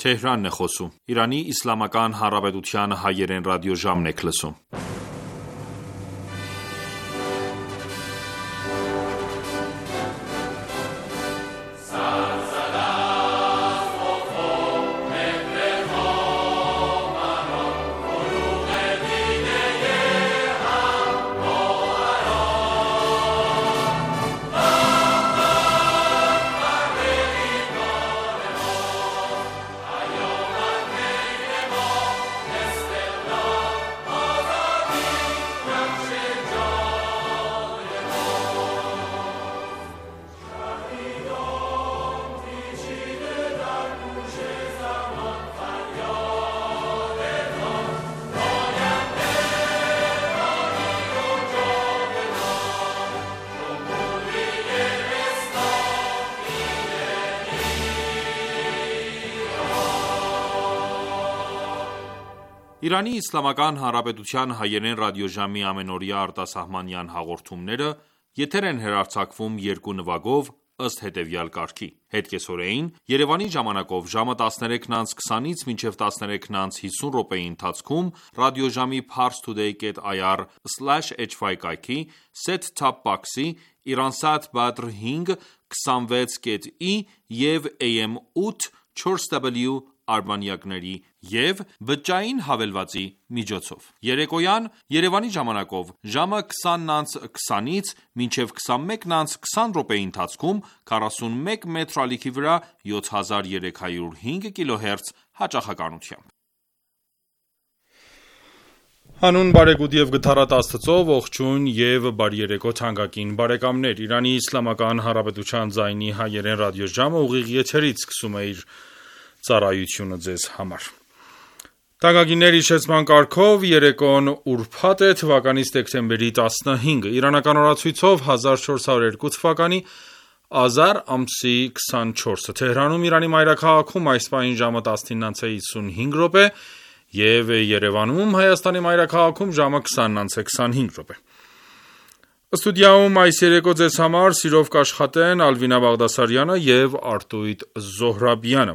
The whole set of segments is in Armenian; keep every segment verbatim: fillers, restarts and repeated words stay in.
Թեհրանն է խոսում։ Իրանի Իսլամական Հանրապետության հայերեն ռադիոժամն եք լսում։ Իրանի Իսլամական Հանրապետության հայերեն ռադիոժամի ամենօրյա արտասահմանյան հաղորդումները եթեր են հեռարձակվում երկու նվագով ըստ հետևյալ կարգի: Հետկեսօրեին Երևանի ժամանակով ժամը տասներեքն անց քսանից մինչև տասներեքն անց հիսուն րոպեի ընթացքում ռադիոժամի parstoday dot i r slash h y կայքի set-top box-ի Iransat Badr հինգ քսանվեց կետ ի և A M ութ չորս W արբանյակների և բջջային հավելվածի միջոցով: Երեկոյան Երևանի ժամանակով ժամը քսանն անց քսանից մինչև քսանմեկն անց քսան րոպեի ընթացքում քառասունմեկ մետր ալիքի վրա յոթ հազար երեք հարյուր հինգ կիլոհերց հաճախականությամբ: Հանուն բարեգութ և գթառատ Աստծո, ողջույն և բարի երեկո թանկագին բարեկամներ: Իրանի Իսլամական Հանրապետության ձայնի հայերեն ռադիոժամը ուղիղ եթերից սկսում է իր ծառայությունը ձեզ համար: Թանկագիններ, իշխեցման կարգով երեկոն ուրբաթ է, թվականի դեկտեմբերի տասնհինգը, իրանական օրացույցով հազար չորս հարյուր երկու թվականի ազար ամսի քսանչորսը, Թեհրանում Իրանի մայրաքաղաքում այս պահին ժամը տասնինն անց է հիսունհինգ րոպե և Երևանում Հայաստանի մայրաքաղաքում ժամը քսանն անց է քսանհինգ րոպե: Ստուդիայում այս երեկո ձեզ համար սիրով կաշխատեն Ալվինա Բաղդասարյանը և Արտույտ Զոհրաբյանը: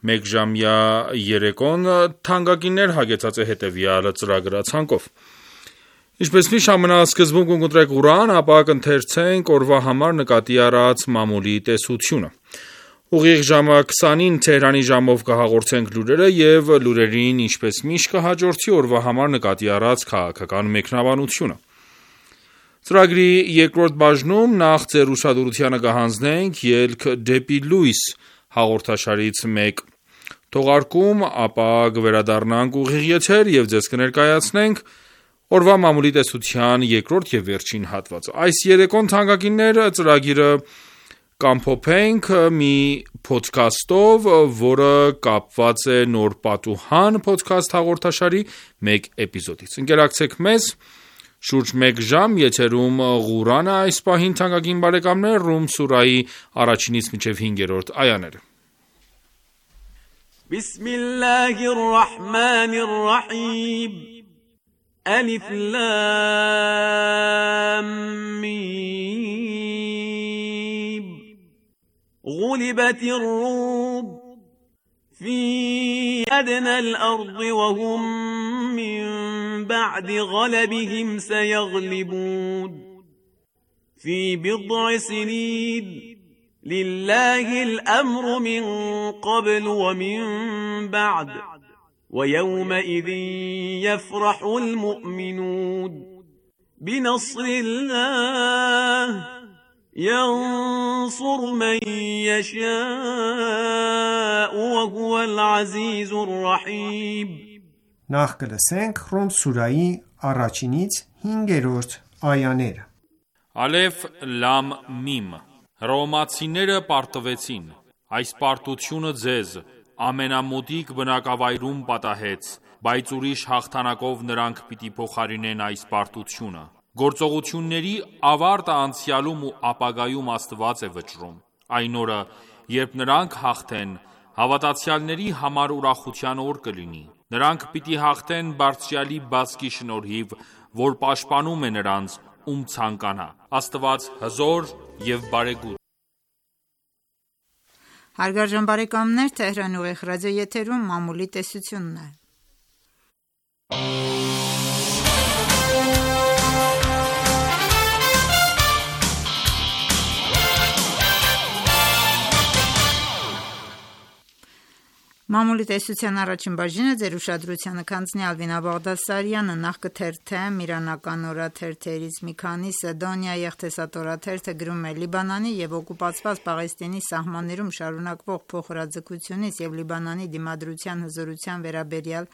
Մեկժամյա երեկոն թանկագիններ հագեցած է հետևյալ ծրագրացանկով: Ինչպես միշտ ամենասկզբում կընտրենք Ղուրան, ապա կընթերցենք օրվա համար նկատի առած մամուլի տեսությունը: Ուղիղ ժամը քսանին Թեհրանի ժամով կհաղորդենք լուրերը և լուրերին ինչպես միշտ կհաջորդի օրվա համար նկատի առած քաղաքական մեկնաբանությունը: Ծրագրի երկրորդ բաժնում նախ ձեր ուշադրությանը կհանձնենք «Ելք դեպի լույս» հաղորդաշարից մեկ թողարկում, ապա կվերադառնանք ուղիղ եթեր և ձեզ կներկայացնենք օրվա մամուլի տեսության երկրորդ և վերջին հատվածը: Այս երեկոն թանկագիններ ծրագիրը կամփոփենք մի փոդքասթով, որը կապված է «Նոր պատուհան» փոդքասթ հաղորդաշարի մեկ էպիզոդից: Ընկերակցեք մեզ շուրջ մեկ ժամ եթերում Ղուրանը այս պահին թանկագին բարեկամներ Ռում սուրահի առաջինից մինչև հինգերորդ այաները: Բիսմիլլահիր ռահմանիր ռահիմ Ալիֆ լամ միմ Ղուլիբաթիր ռում في أدنى الأرض وهم من بعد غلبهم سيغلبون في بضع سنين لله الأمر من قبل ومن بعد ويومئذ يفرح المؤمنون بنصر الله ينصر من يشاء وهو العزيز الرحيم Նախ կլսենք Ռում սուրահի առաջինից հինգերորդ այաները: Ալեֆ լամ միմ Հռոմեացիները պարտվեցին: Այս պարտությունը ձեզ ամենամոտիկ բնակավայրում պատահեց, բայց ուրիշ հաղթանակով նրանք պիտի փոխարինեն այս պարտությունը: Գործողությունների ավարտը անցյալում ու ապագայում Աստված է վճռում: Այն օրը, երբ նրանք հաղթեն, հավատացյալների համար ուրախության օր կլինի: Նրանք պիտի հաղթեն Բարձրյալի բազկի շնորհիվ, որ պաշտպանում է նրանց, ում ցանկանա: Աստված հզոր և բարեգութ: Հարգարժան բարեկամներ, Թեհրան ուղիղ ռադիոեթերում մամուլի տեսությունն է։ Մամուլի տեսության առաջին բաժինը ձեր ուշադրությանը կհանձնի Ալվինա Բաղդասարյանը, նախ կթերթեմ իրանական օրաթերթերից մի քանիսը։ Դոնիա եղտեսատորաթերթը գրում է. Լիբանանի և օկուպացված Պաղեստինի սահմաններում շարունակվող փոխհրաձգությունից և Լիբանանի դիմադրության հզորության վերաբերյալ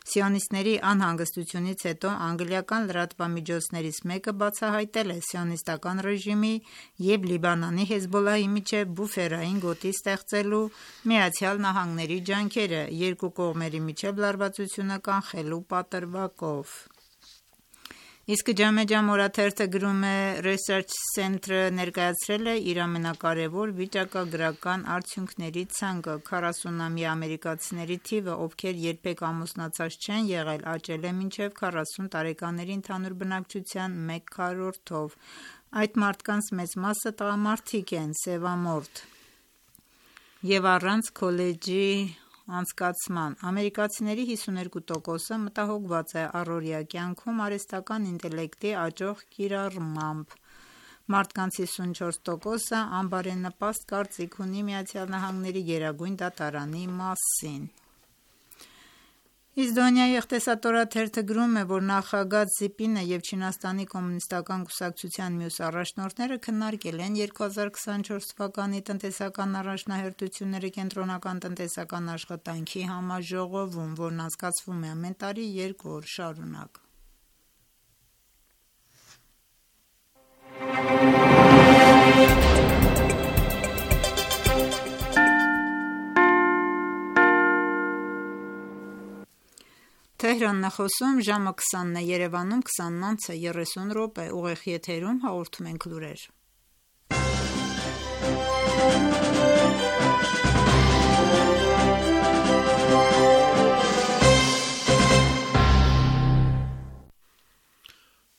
սիոնիստների անհանգստությունից հետո անգլիական լրատվամիջոցներից մեկը բացահայտել է սիոնիստական ռեժիմի և Լիբանանի Հեզբոլլահի միջև բուֆերային գոտի ստեղծելու Միացյալ Նահանգների ջանքերը երկու կողմերի միջև լարվածությունը կանխելու պատրվակով։ Իսկ Ջամեջամ օրաթերթը գրում է. Research Center-ը ներկայացրել է իր ամենակարևոր վիճակագրական արդյունքների ցանկը. քառասունամյա ամերիկացիների թիվը, ովքեր երբեք ամուսնացած չեն եղել, աճել է մինչև քառասուն տարեկանների ընդհանուր բնակչության մեկ քառորդով։ Այդ մարդկանց մեծ մասը տղամարդիկ են, սևամորթ և առանց քոլեջի անցկացման։ Ամերիկացիների հիսուներկու տոկոսը մտահոգված է առօրյա կյանքում արհեստական ինտելեկտի աճող կիրառմամբ։ Մարդկանց հիսունչորս տոկոսը անբարենպաստ կարծիք ունի Միացյալ Նահանգների գերագույն դատարանի մասին։ Իսկ Դոնիա եղտեսատորաթերթը գրում է, որ նախագահ Զիպինը և Չինաստանի կոմունիստական կուսակցության մյուս առաջնորդները քննարկել են երկու հազար քսանչորս թվականի տնտեսական առաջնահերթությունները կենտրոնական տնտեսական աշխատանքի համաժողովում, որն անցկացվում է ամեն տարի երկու օր շարունակ։ Թեհրանն է խոսում, ժամը քսանն է, Երևանում քսանն անց է երեսուն րոպե, ուղիղ եթերում հաղորդում ենք լուրեր։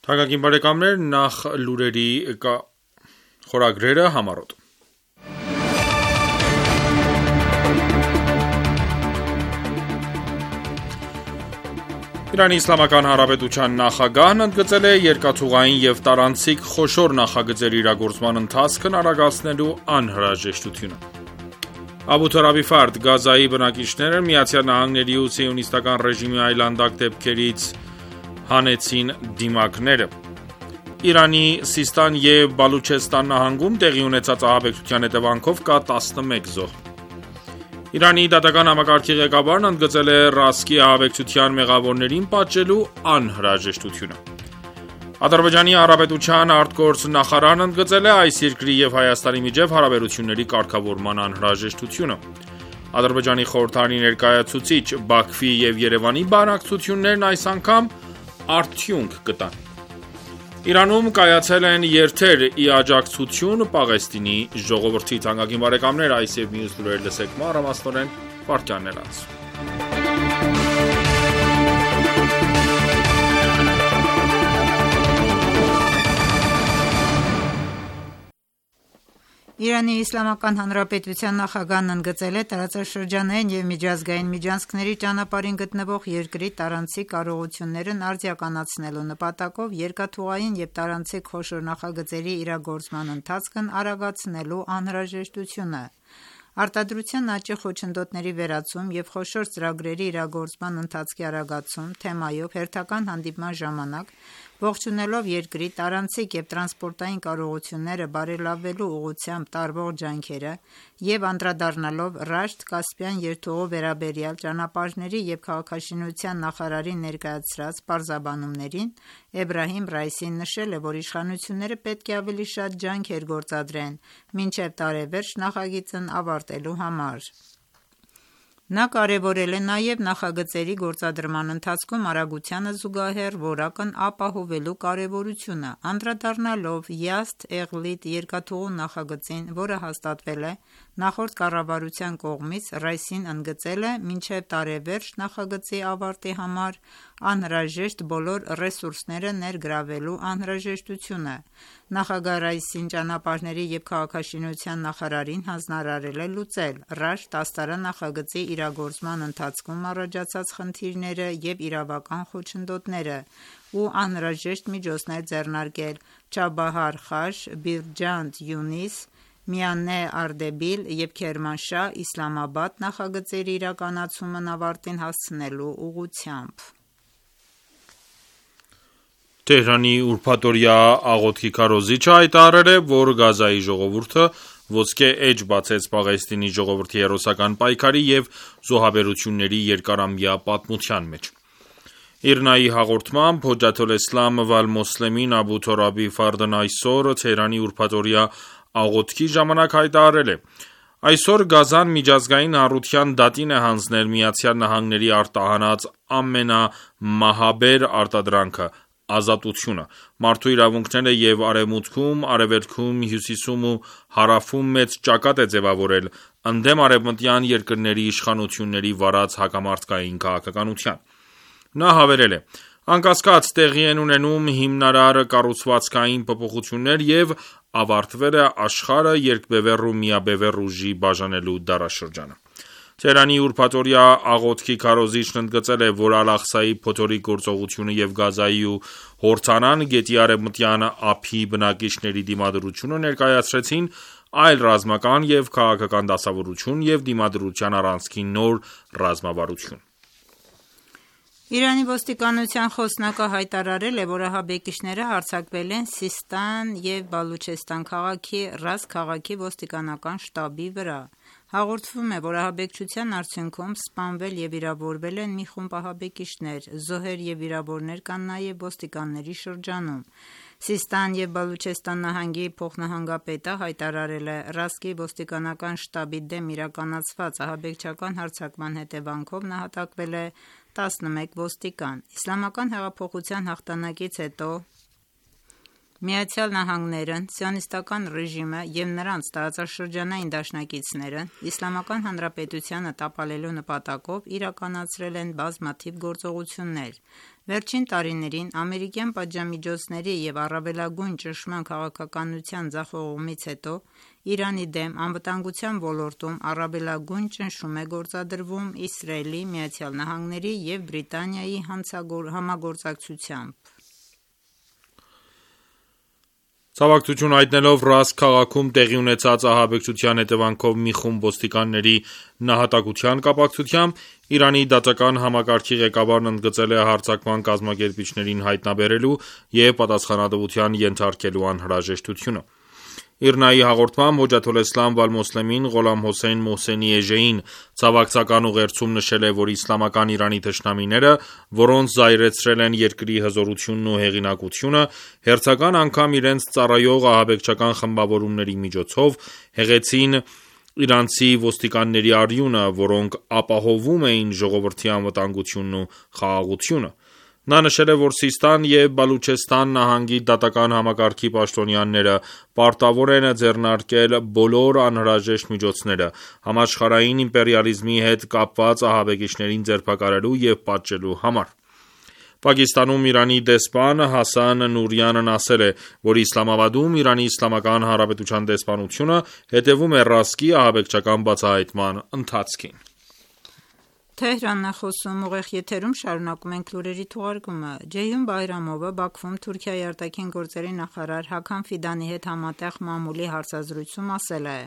Թանկագին բարեկամներ, նախ լուրերի խորագրերը համառոտ։ Իրանի Իսլամական Հանրապետության նախագահն ընդգծել է երկաթուղային և տարանցիկ խոշոր նախագծերի իրագործման ընթացքն արագացնելու անհրաժեշտությունը։ Աբու Թորաբի Ֆարդ, Գազայի բնակիչները Միացյալ Նահանգների ու սիոնիստական ռեժիմի այլանդակ դեպքերից հանեցին դիմակները։ Իրանի Սիստան և Բալուչեստան նահանգում տեղի ունեցած ահաբեկչության հետևանքով կա տասնմեկ զոհ։ Իրանի դատական համակարգի ղեկավարն ընդգծել է Ռասկի ահաբեկչության մեղավորներին պատժելու անհրաժեշտությունը։ Ադրբեջանի Հանրապետության արտգործ նախարարն ընդգծել է այս երկրի և Հայաստանի միջև հարաբերությունների կարգավորման անհրաժեշտությունը։ Ադրբեջանի խորհրդարանի ներկայացուցիչ Բաքվի և Երևանի բանակցություններն այս անգամ արդյունք կտան։ Իրանում կայացել են երթեր ի աջակցություն Պաղեստինի ժողովրդի։ Թանկագին բարեկամներ, այս և մյուս լուրեր լսեք մանրամասնորեն վայրկյաններ անց։ Իրանի Իսլամական Հանրապետության նախագահն ընդգծել է տարածաշրջանային և միջազգային միջանցքների ճանապարհին գտնվող երկրի տարանցիկ կարողություններն արդիականացնելու նպատակով երկաթուղային և տարանցիկ խոշոր նախագծերի իրագործման ընթացքն արագացնելու անհրաժեշտությունը։ Արտադրության աճի խոչընդոտների վերացում և խոշոր ծրագրերի իրագործման ընթացքի արագացում թեմայով հերթական հանդիպման ժամանակ, ողջունելով երկրի տարանցիկ և տրանսպորտային կարողությունները բարելավելու ուղղությամբ տարվող ջանքերը և անդրադառնալով Ռաշտ-Կասպյան երթուղու վերաբերյալ ճանապարհների և քաղաքաշինության նախարարի ներկայացրած պարզաբանումներին, Էբրահիմ Ռայիսին նշել է, որ իշխանությունները պետք է ավելի շատ ջանքեր գործադրեն մինչև տարեվերջ նախագիծն ավարտելու համար։ Նա կարևորել է նաև նախագծերի գործադրման ընթացքում արագությանը զուգահեռ որակն ապահովելու կարևորությունը, անդրադառնալով Յազդ-Էղլիդ երկաթուղու նախագծին, որը հաստատվել է նախորդ կառավարության կողմից, Ռայիսին ընդգծել է մինչև տարեվերջ նախագծի ավարտի համար անհրաժեշտ բոլոր ռեսուրսները ներգրավելու անհրաժեշտությունը։ Նախագահ Ռայիսին ճանապարհների և քաղաքաշինության նախարարին հանձնարարել է լուծել Ռաշտ աստարան նախագծի իրագործման ընթացքում առաջացած խնդիրները և իրավական խոչընդոտները ու անհրաժեշտ միջոցներ ձեռնարկել Չաբահար Խաշ, Բիրջանդ Յունիս, Միանե Արդեբիլ և Քերմանշահ Իսլամաբադ նախագծերի իրականացումն ավարտին հասցնելու ուղղությամբ։ Թեհրանի ուրբաթօրյա աղոթքի քարոզիչը հայտարարել է, որ Գազայի ժողովուրդը ոսկե էջ բացեց Պաղեստինի ժողովրդի հերոսական պայքարի և զոհաբերությունների երկարամյա պատմության մեջ։ Իրնայի հաղորդմամբ Հոջաթոլէսլամ Վալ-Մոսլեմին Աբու Թորաբի Ֆարդն այսօր Թեհրանի ուրբաթօրյա աղոթքի ժամանակ հայտարարել է. «Այսօր Գազան միջազգային հանրության դատին է հանձնել ԱՄՆ-ի արտահանած ամենամահաբեր արտադրանքը՝ ազատությունը։ Մարդու իրավունքները և Արևմուտքում, Արևելքում, Հյուսիսում ու Հարավում մեծ ճակատ է ձևավորել ընդդեմ արևմտյան երկրների իշխանությունների վարած հակամարտկային քաղաքականության»։ Նա հավելել է. «Անկասկած, տեղի են ունենում հիմնարար կառուցվածքային փոփոխություններ և ավարտվել է աշխարհը երկբևեռ ու միաբևեռ ուժի բաժանելու դարաշրջանը»։ Թեհրանի ուրբաթօրյա աղոթքի քարոզիչն ընդգծել է, որ Ալ-Աղսայի փոթորիկ գործողությունը և Գազայի ու Հորդանան գետի արևմտյան ափի բնակիչների դիմադրությունը ներկայացրեցին այլ ռազմական և քաղաքական դասավորություն և դիմադրության առանցքի նոր ռազմավարություն։ Իրանի ոստիկանության խոսնակը հայտարարել է, որ ահաբեկիչները հարձակվել են Սիստան և Բալուչեստան քաղաքի Ռազ քաղաքի ոստիկանական շտաբի վրա։ Հաղորդվում է, որ ահաբեկչության արդյունքում սպանվել և վիրավորվել են մի խումբ ահաբեկիչներ, զոհեր և վիրավորներ կան նաև ոստիկանների շրջանում։ Սիստան և Բալուչեստան նահանգի փոխնահանգապետը հայտարարել է. «Ռասկի ոստիկանական շտաբի դեմ իրականացված ահաբեկչական հարձակման հետևանքով նահատակվել է տասնմեկ ոստիկան»։ Իսլամական հեղափոխության հաղթանակից հետո ԱՄՆ-ն, Սիոնիստական ռեժիմը և նրանց տարածաշրջանային դաշնակիցները Իսլամական Հանրապետությանը տապալելու նպատակով իրականացրել են բազմաթիվ գործողություններ։ Վերջին տարիներին ամերիկյան պատժամիջոցների և առավելագույն ճնշման քաղաքականության ձախողումից հետո Իրանի դեմ անվտանգության ոլորտում առավելագույն ճնշում է գործադրվում Իսրայելի, ԱՄՆ-ի և Բրիտանիայի համագործակցությամբ։ Ցավակցություն հայտնելով Ռազ քաղաքում տեղի ունեցած ահաբեկչության հետևանքով մի խումբ ոստիկանների նահատակության կապակցությամբ Իրանի դատական համակարգի ղեկավարն ընդգծել է հարձակման կազմակերպիչներին հայտնաբերելու և պատասխանատվության ենթարկելու անհրաժեշտությունը։ Իրնայի հաղորդմամբ Հոջաթոլէսլամ Վալ-Մոսլեմին Ղոլամ Հոսեյն Մոհսենի էժեին ցավակցական ուղերձում նշել է, որ իսլամական Իրանի թշնամիները, որոնց զայրացրել են երկրի հզորությունն ու հեղինակությունը, հերթական անգամ իրենց ծառայող ահաբեկչական խմբավորումների միջոցով հեղեցին իրանցի ոստիկանների արյունը, որոնք ապահովում էին ժողովրդի անվտանգությունն ու խաղաղությունը։ Նա նշել է, որ Սիստան և Բալուչեստան նահանգի դատական համակարգի պաշտոնյաները պարտավոր են ձեռնարկել բոլոր անհրաժեշտ միջոցները՝ համաշխարհային իմպերիալիզմի հետ կապված ահաբեկիչներին ձերբակալելու և պատժելու համար։ Պակիստանում Իրանի դեսպան Հասան Նուրյանն ասել է, որ Իսլամաբադում Իրանի Իսլամական Հանրապետության դեսպանությունը հետևում է Ռասկի ահաբեկչական բացահայտման ընթացքին։ Ջեյհուն Բայրամովը Բաքվում Թուրքիայի արտաքին գործերի նախարար Հաքամ Ֆիդանի հետ համատեղ մամուլի հարցազրույցում ասել է.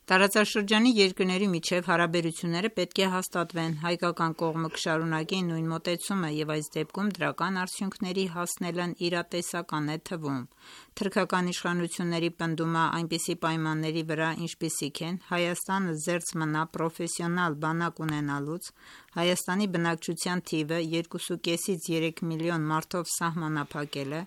«Տարածաշրջանի երկրների միջև հարաբերությունները պետք է հաստատվեն, հայկական կողմը կշարունակի նույն մոտեցումը և այս դեպքում դրական արդյունքների հասնելն իրատեսական է թվում։ Թուրքական իշխանությունների պնդումը այնպիսի պայմանների վրա, ինչպիսիք են Հայաստանը զերծ մնա պրոֆեսիոնալ բանակ ունենալուց, Հայաստանի բնակչության թիվը երկուսուկեսից երեք միլիոն մարդով սահմանափակելը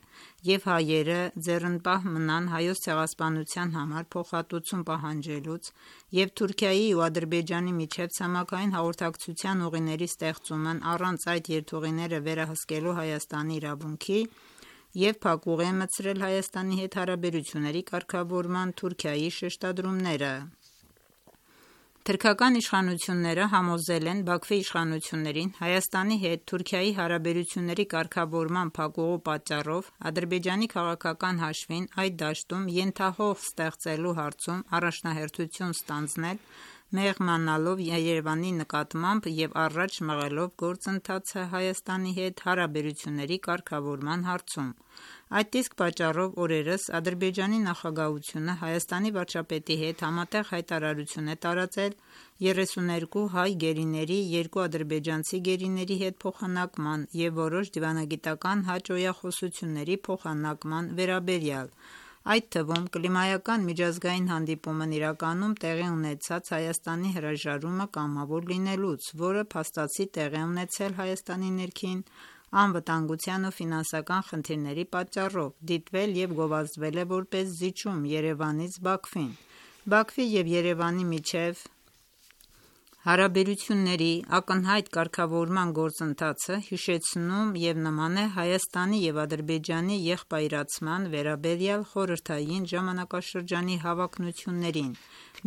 և հայերը ձեռնպահ մնան Հայոց ցեղասպանության համար փոխհատուցում պահանջելուց և Թուրքիայի ու Ադրբեջանի միջև ցամաքային հաղորդակցության ուղիների ստեղծումն առանց այդ երթուղիները վերահսկելու Հայաստանի իրավունքի և փակուղի է մտցրել Հայաստանի հետ հարաբերությունների կարգավորման Թուրքիայի շեշտադրումները»։ Թուրքական իշխանությունները համոզել են Բաքվի իշխանություններին Հայաստանի հետ Թուրքիայի հարաբերությունների կարգավորման փակուղու պատճառով Ադրբեջանի քաղաքական հաշվին այդ դաշտում ենթահող ստեղծելու հարցում առաջնահերթություն ստանձնել, մեղմանալով Երևանի նկատմամբ և առաջ մղելով գործընթացը Հայաստանի հետ հարաբերությունների կարգավորման հարցում։ Այդ իսկ պատճառով օրերս Ադրբեջանի նախագահությունը Հայաստանի վարչապետի հետ համատեղ հայտարարություն է տարածել երեսուներկու հայ գերիների երկու ադրբեջանցի գերիների հետ փոխանակման և որոշ դիվանագիտական հաճոյախոսությունների փոխանակման վերաբերյալ, այդ թվում կլիմայական միջազգային հանդիպումն իրականում տեղի ունեցած Հայաստանի հրաժարումը կամավոր լինելուց, որը փաստացի տեղի ունեցել Հայաստանի ներքին անվտանգության ու ֆինանսական խնդիրների պատճառով, դիտվել և գովազդվել է որպես զիջում Երևանից Բաքվին։ Բաքվի և Երևանի միջև հարաբերությունների ակնհայտ կարգավորման գործընթացը հիշեցնում և նման է Հայաստանի և Ադրբեջանի եղբայրացման վերաբերյալ խորհրդային ժամանակաշրջանի հավակնություններին,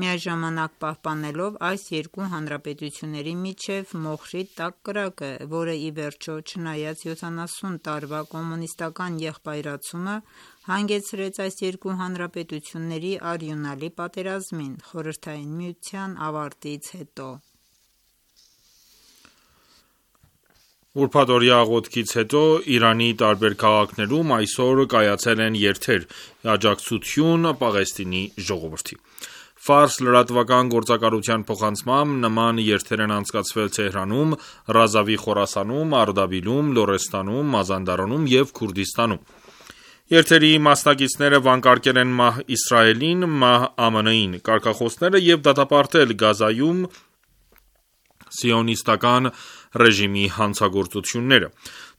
միաժամանակ պահպանելով այս երկու հանրապետությունների միջև մոխրի տաք կրակը, որը ի վերջո, չնայած յոթանասուն տարվա կոմունիստական եղբայրացումը, հանգեցրեց այս երկու հանրապետությունների արյունալի պատերազմին Խորհրդային Միության ավարտից հետո։ Ուրբաթօրյա աղոթքից հետո Իրանի տարբեր քաղաքներում այսօր կայացել են երթեր՝ ի աջակցություն Պաղեստինի ժողովրդի։ Ֆարս լրատվական գործակալության փոխանցմամբ նման երթեր են անցկացվել Թեհրանում, Ռազավի Խորասանում, Արդաբիլում, Լորեստանում, Մազանդարանում և Քուրդիստանում։ Երթերի մասնակիցները վանկարկել են մահ Իսրայելին, մահ ԱՄՆ-ին, կարգախոսները և դատապարտել Գազայում սիոնիստական ռեժիմի հանցագործությունները։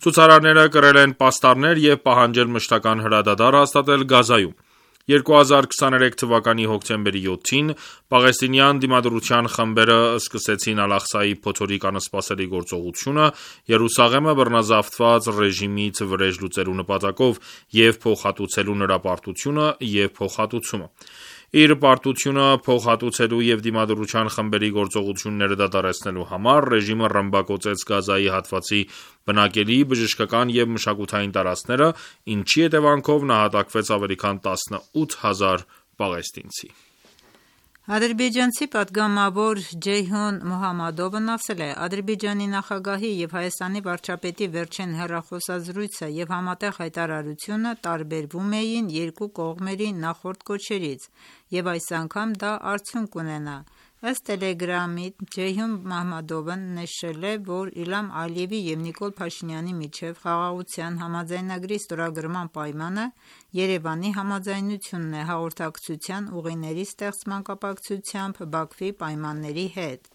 Ցուցարարները կրել են պաստառներ և պահանջել մշտական հրադադար հաստատել Գազայում։ երկու հազար քսաներեք թվականի հոկտեմբերի յոթին պաղեստինյան դիմադրության խմբերը սկսեցին Ալ-Աղսայի փոթորիկ անսպասելի գործողությունը Երուսաղեմը բռնազավթված ռեժիմից վրեժ լուծելու նպատակով և փոխհատուցելու նրա պարտությունը և փոխհատուցումը։ Իր պարտությունը փոխհատուցելու և դիմադրության խմբերի գործողությունները դադարեցնելու համար ռեժիմը ռմբակոծեց Գազայի հատվածի բնակելի, բժշկական և մշակութային տարածքները, ինչի հետևանքով նահատակվեց ավելի քան տասնութ հազար պաղեստինցի։ Ադրբեջանցի պատգամավոր Ջեյհուն Մոհամմադովն ասել է. «Ադրբեջանի նախագահի և Հայաստանի վարչապետի վերջին հեռախոսազրույցը և համատեղ հայտարարությունը տարբերվում էին երկու կողմերի նախորդ կոչերից, և այս անգամ դա արդյունք կունենա»։ Ըստ Telegram-ի Ջեյհուն Մոհամմադովն նշել է, որ Իլհամ Ալիևի և Նիկոլ Փաշինյանի միջև խաղաղության համաձայնագրի ստորագրման պայմանը Երևանի համաձայնությունն է հաղորդակցության ուղիների ստեղծման կապակցությամբ Բաքվի պայմանների հետ։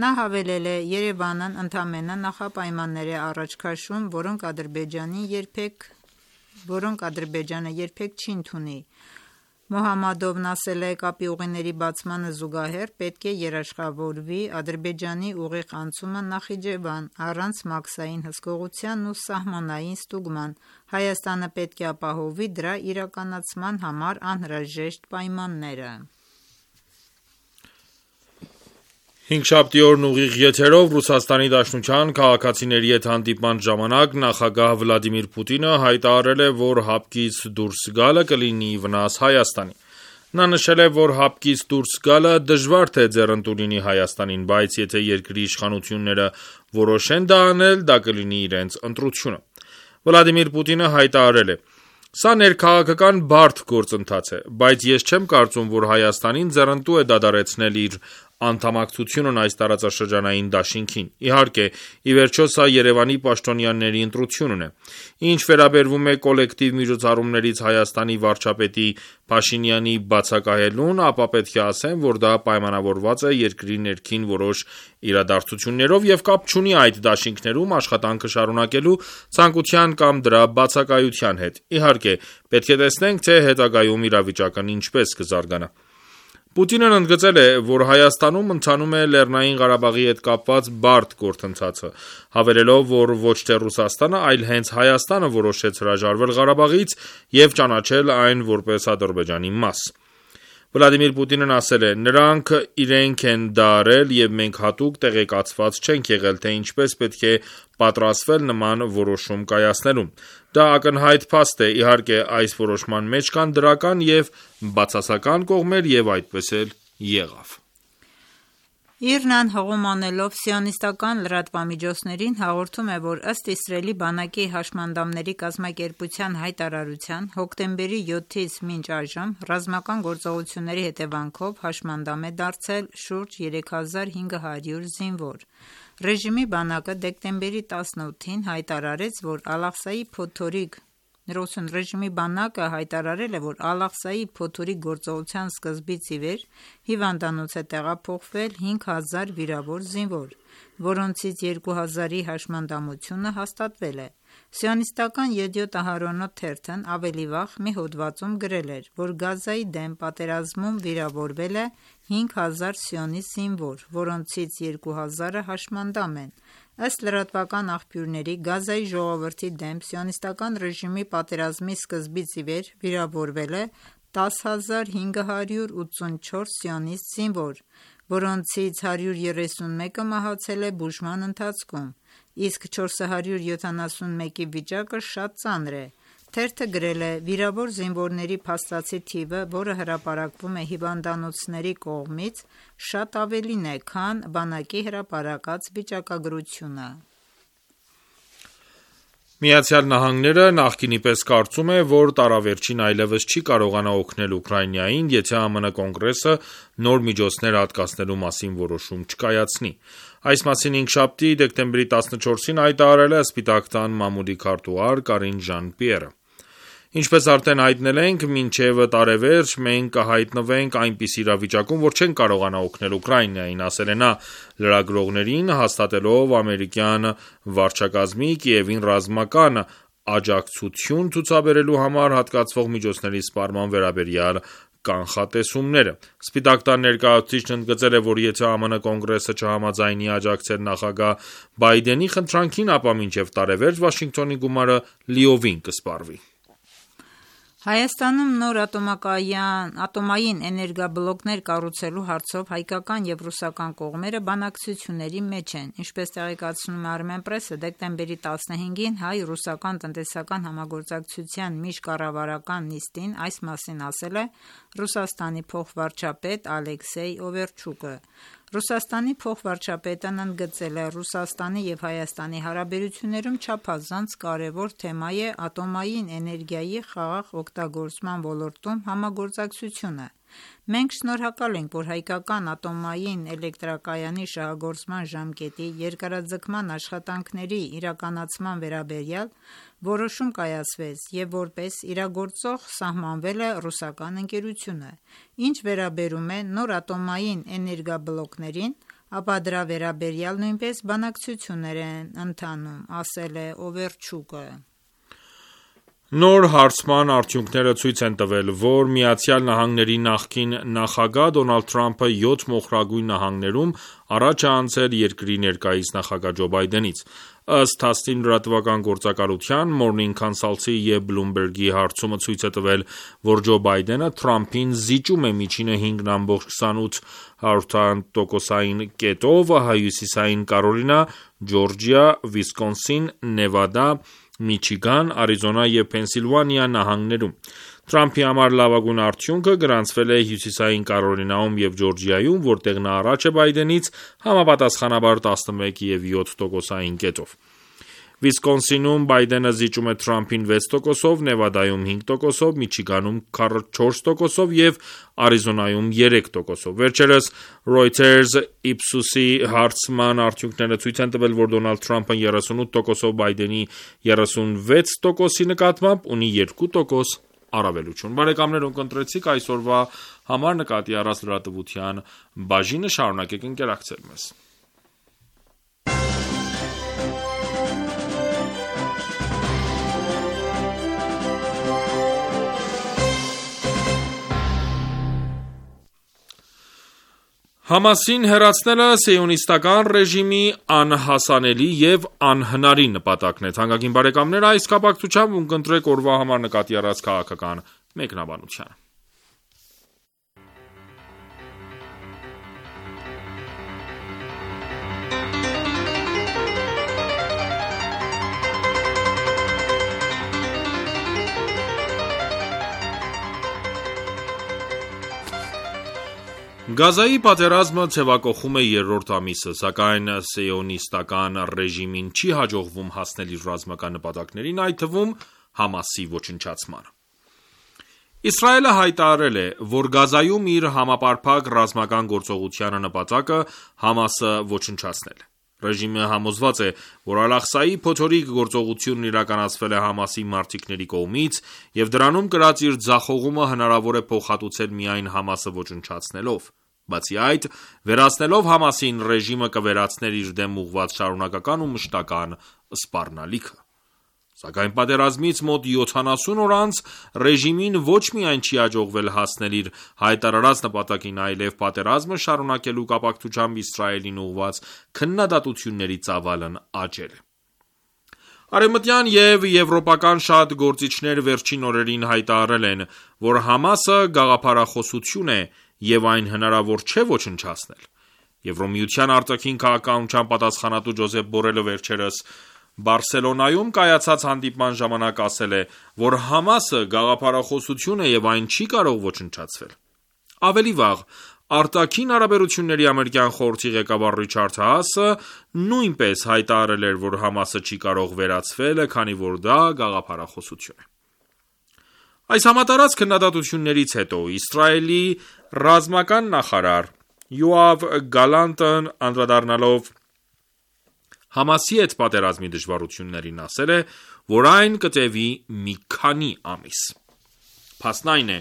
Նա հավելել է. «Երևանն ընդամենը նախապայմաններ է առաջ քաշում, որոնք Ադրբեջանը երբեք, որոնք Ադրբեջանը երբեք չի ընդունի»։ Մոհամմադովն ասել է. «Կապի ուղիների բացմանը զուգահեռ պետք է երաշխավորվի Ադրբեջանի ուղիղ անցումը Նախիջևան, առանց մաքսային հսկողության ու սահմանային ստուգման։ Հայաստանը պետք է ապահովի դրա իրականացման համար անհրաժեշտ պայմանները»։ Հինգշաբթի օրն ուղիղ եթերով Ռուսաստանի Դաշնության քաղաքացիների հետ հանդիպման ժամանակ նախագահ Վլադիմիր Պուտինը հայտարարել է, որ հապկից դուրս գալը կլինի վնաս Հայաստանի։ Նա նշել է, որ հապկից դուրս գալը դժվար թե ձեռնտու լինի Հայաստանին, բայց եթե երկրի իշխանությունները որոշեն դա անել, դա կլինի իրենց ընտրությունը։ Վլադիմիր Պուտինը հայտարարել է. «Սա ներքաղաքական բարդ գործընթաց է, բայց ես չեմ կարծում, որ Հայաստանին ձեռնտու է դադարեցնել իր անդամակցությունն այս տարածաշրջանային դաշինքին։ Իհարկե, ի վերջո սա Երևանի պաշտոնյաների ընտրությունն է։ Ինչ վերաբերում է կոլեկտիվ միջոցառումներից Հայաստանի վարչապետի Փաշինյանի բացակայելուն, ապա պետք է ասեմ, որ դա պայմանավորված է երկրի ներքին որոշ իրադարձություններով և կապ չունի այդ դաշինքներում աշխատանքը շարունակելու ցանկության կամ դրա բացակայության հետ։ Իհարկե, պետք է տեսնենք, թե հետագայում իրավիճակն ինչպես կզարգանա»։ Պուտինն ընդգծել է, որ Հայաստանում ընթանում է Լեռնային Ղարաբաղի հետ կապված բարդ գործընթացը, հավելելով, որ ոչ թե Ռուսաստանը, այլ հենց Հայաստանը որոշեց հրաժարվել Ղարաբաղից և ճանաչել այն որպես Ադրբեջանի մաս։ Վլադիմիր Պուտինն ասել է. «Նրանք իրենք են դա արել եւ մենք հատուկ տեղեկացված չենք եղել, թե ինչպես պետք է պատրաստվել նման որոշում կայացնելու։ Դա ակնհայտ փաստ է, իհարկե այս որոշման մեջ կան դրական եւ բացասական կողմեր եւ այդպես էլ եղավ»։ Իրնան հղում անելով սիոնիստական լրատվամիջոցներին հաղորդում է, որ ըստ Իսրայելի բանակի հաշմանդամների կազմակերպության հայտարարության հոկտեմբերի յոթից մինչ այժմ ռազմական գործողությունների հետևանքով հաշմանդամ է դարձել շուրջ երեք հազար հինգ հարյուր զինվոր։ Ռեժիմի բանակը դեկտեմբերի տասնութին հայտարարեց, որ Ալ-Աղսայի փոթորիկ Ռեժիմի բանակը հայտարարել է, որ Ալ-Աղսայի փոթորիկ գործողության սկզբից ի վեր հիվանդանոց է տեղափոխվել հինգ հազար վիրավոր զինվոր, որոնցից երկու հազարի հաշմանդամությունը հաստատվել է։ Սիոնիստական Յեդիոթ Ահարոնոթ թերթն ավելի վաղ մի հոդվածում գրել էր, որ Գազայի դեմ պատերազմում վիրավորվել է հինգ հազար սիոնիստ զինվոր, որոնցից երկու հազարը հաշմանդամ են։ Ըստ լրատվական աղբյուրների, Գազայի ժողովրդի դեմ սիոնիստական ռեժիմի պատերազմի սկզբից ի վեր վիրավորվել է տասը հազար հինգ հարյուր ութսունչորս սիոնիստ զինվոր, որոնցից հարյուր երեսունմեկը մահացել է բուժման ընթացքում, իսկ չորս հարյուր յոթանասունմեկի վիճակը շատ ծանր է։ Թերթը գրել է. «Վիրավոր զինվորների փաստացի թիվը, որը հրապարակվում է հիվանդանոցների կողմից, շատ ավելին է, քան բանակի հրապարակած վիճակագրությունը»։ Միացյալ Նահանգները նախկինի պես կարծում է, որ տարավերջին այլևս չի կարողանա օգնել Ուկրաինային, եթե ԱՄՆ Կոնգրեսը նոր միջոցներ հատկացնելու մասին որոշում չկայացնի։ Այս մասին հինգշաբթի դեկտեմբերի տասնչորսին հայտարարել է Սպիտակ տան մամուլի քարտուղար Կարին Ժան-Պիերը։ Ինչպես արդեն հայտնել ենք, մինչև տարեվերջ մենք կհայտնվենք այնպիսի իրավիճակում, որ չենք կարողանա օգնել Ուկրաինային, ասել է նա լրագրողներին, հաստատելով ամերիկյան վարչակազմի Կիևին ռազմական աջակցություն ցուցաբերելու համար հատկացվող միջոցների սպառման վերաբերյալ կանխատեսումները։ Սպիտակ տան ներկայացուցիչն ընդգծել է, որ եթե ԱՄՆ Կոնգրեսը չհամաձայնի աջակցել նախագահ Բայդենի խնդրանքին, ապա մինչև տարեվերջ Վաշինգտոնի գումարը լիովին կսպառվի։ Հայաստանում նոր ատոմային էներգաբլոկներ կառուցելու հարցով հայկական եւ ռուսական կողմերը բանակցությունների մեջ են։ Ինչպես տեղեկացնում է Armenpress-ը, դեկտեմբերի տասնհինգին հայ-ռուսական տնտեսական համագործակցության միջկառավարական նիստին այս մասին ասել է Ռուսաստանի փոխվարչապետ Ալեքսեյ Օվերչուկը։ Ռուսաստանի փոխվարչապետն ընդգծել է Ռուսաստանի եւ Հայաստանի հարաբերություններում չափազանց կարևոր թեմա է ատոմային էներգիայի խաղաղ օգտագործման ոլորտում համագործակցությունը։ Մենք շնորհակալ ենք, որ հայկական ատոմային էլեկտրակայանի շահագործման ժամկետի երկարաձգման աշխատանքների իրականացման վերաբերյալ որոշում կայացվեց եւ որպես իրագործող սահմանվել է ռուսական ընկերությունը։ Ինչ վերաբերում է նոր ատոմային էներգաբլոկներին, ապա դրա վերաբերյալ նույնպես բանակցություններ են ընթանում, ասել է Օվերչուկը։ Նոր հարցման արդյունքները ցույց են տվել, որ Միացյալ Նահանգների նախկին նախագահ Դոնալդ Թրամփը յոթ մոխրագույն նահանգներում առաջ է անցել երկրի ներկայիս նախագահ Ջո Բայդենից։ Ըստ Թասնիմ լրատվական գործակալության Morning Consult-ի եւ Bloomberg-ի հարցումը ցույց է տվել, որ Ջո Բայդենը Թրամփին զիջում է միջինը հինգ կողմը քսանութ տոկոսային կետով Հյուսիսային Կարոլինա, Ջորջիա, Վիսկոնսին, Նևադա, Միչիգան, Արիզոնա և Փենսիլվանիա նահանգներում։ Թրամփի համար լավագույն արդյունքը գրանցվել է Հյուսիսային Կարոլինայում և Ջորջիայում, որտեղ նա առաջ է Բայդենից համապատասխանաբար տասնմեկ և յոթ տոկոսային կետով։ Վիսկոնսինում Բայդենը զիջում է Թրամփին վեց տոկոսով, Նևադայում հինգ տոկոսով, Միչիգանում չորս տոկոսով և Արիզոնայում երեք տոկոսով։ Վերջերս Reuters Ipsos-ի հարցման արդյունքները ցույց են տվել, որ Դոնալդ Թրամփը երեսունութ տոկոսով Բայդենի երեսունվեց տոկոսի նկատմամբ ունի երկու տոկոս առավելություն։ Բարեկամներ, ում կընտրեցիք այսօրվա համար նկատի առած լրատվության բաժինը, շարունակեք ընկերակցել մեզ։ Համասին հեռացնելը սիոնիստական ռեժիմի անհասանելի և անհնարին նպատակն է։ Թանկագին բարեկամներ, այս կապակցությամբ ունկնդրեք օրվա համար նկատի առած քաղաքական մեկնաբանությանը։ Գազայի պատերազմը ցևակոխում է երրորդ ամիսը, սակայն սիոնիստական ռեժիմին չի հաջողվում հասնել իր ռազմական նպատակներին, այդ թվում Համասի ոչնչացմանը։ Իսրայելը հայտարարել է, որ Գազայում իր համապարփակ ռազմական գործողությանը նպատակը Համասը ոչնչացնել է։ Ռեժիմը համոզված է, որ Ալ-Աղսայի փոթորիկ գործողությունն իրականացվել է Համասի մարտիկների կողմից և դրանում կրած իր ձախողումը հնարավոր է փոխհատուցել միայն Համասը ոչնչացնելով։ Բացի այդ, վերացնելով Համասին, ռեժիմը կվերացներ իր դեմ ուղղված շարունակական ու մշտական սպառնալիքը։ Սակայն պատերազմից մոտ յոթանասուն օր անց ռեժիմին ոչ միայն չի հաջողվել հասնել իր հայտարարած նպատակին, այլև պատերազմը շարունակելու կապակցությամբ Իսրայելին ուղղված քննադատությունների ծավալն աճել է։ Արևմտյան և եվրոպական շատ գործիչներ վերջին օրերին հայտարարել են, որ Համասը գաղափարախոսություն է և այն հնարավոր չէ ոչնչացնել։ Եվրոմիության արտաքին քաղաքականության պատասխանատու Ջոզեփ Բորելը վերջերս Բարսելոնայում կայացած հանդիպման ժամանակ ասել է, որ Համասը գաղափարախոսություն է և այն չի կարող ոչնչացվել։ Ավելի վաղ, արտաքին հարաբերությունների ամերիկյան խորհրդի ղեկավար Ռիչարդ Հաասը նույնպես հայտարարել էր, որ Համասը չի կարող վերացվել, քանի որ դա գաղափարախոսություն է։ Այս համատարած քննադատություններից հետո Իսրայելի ռազմական նախարար Յոավ Գալանտն անդրադառնալով Համասի հետ պատերազմի դժվարություններին ասել է, որ այն կտևի մի քանի ամիս։ Փաստն այն է,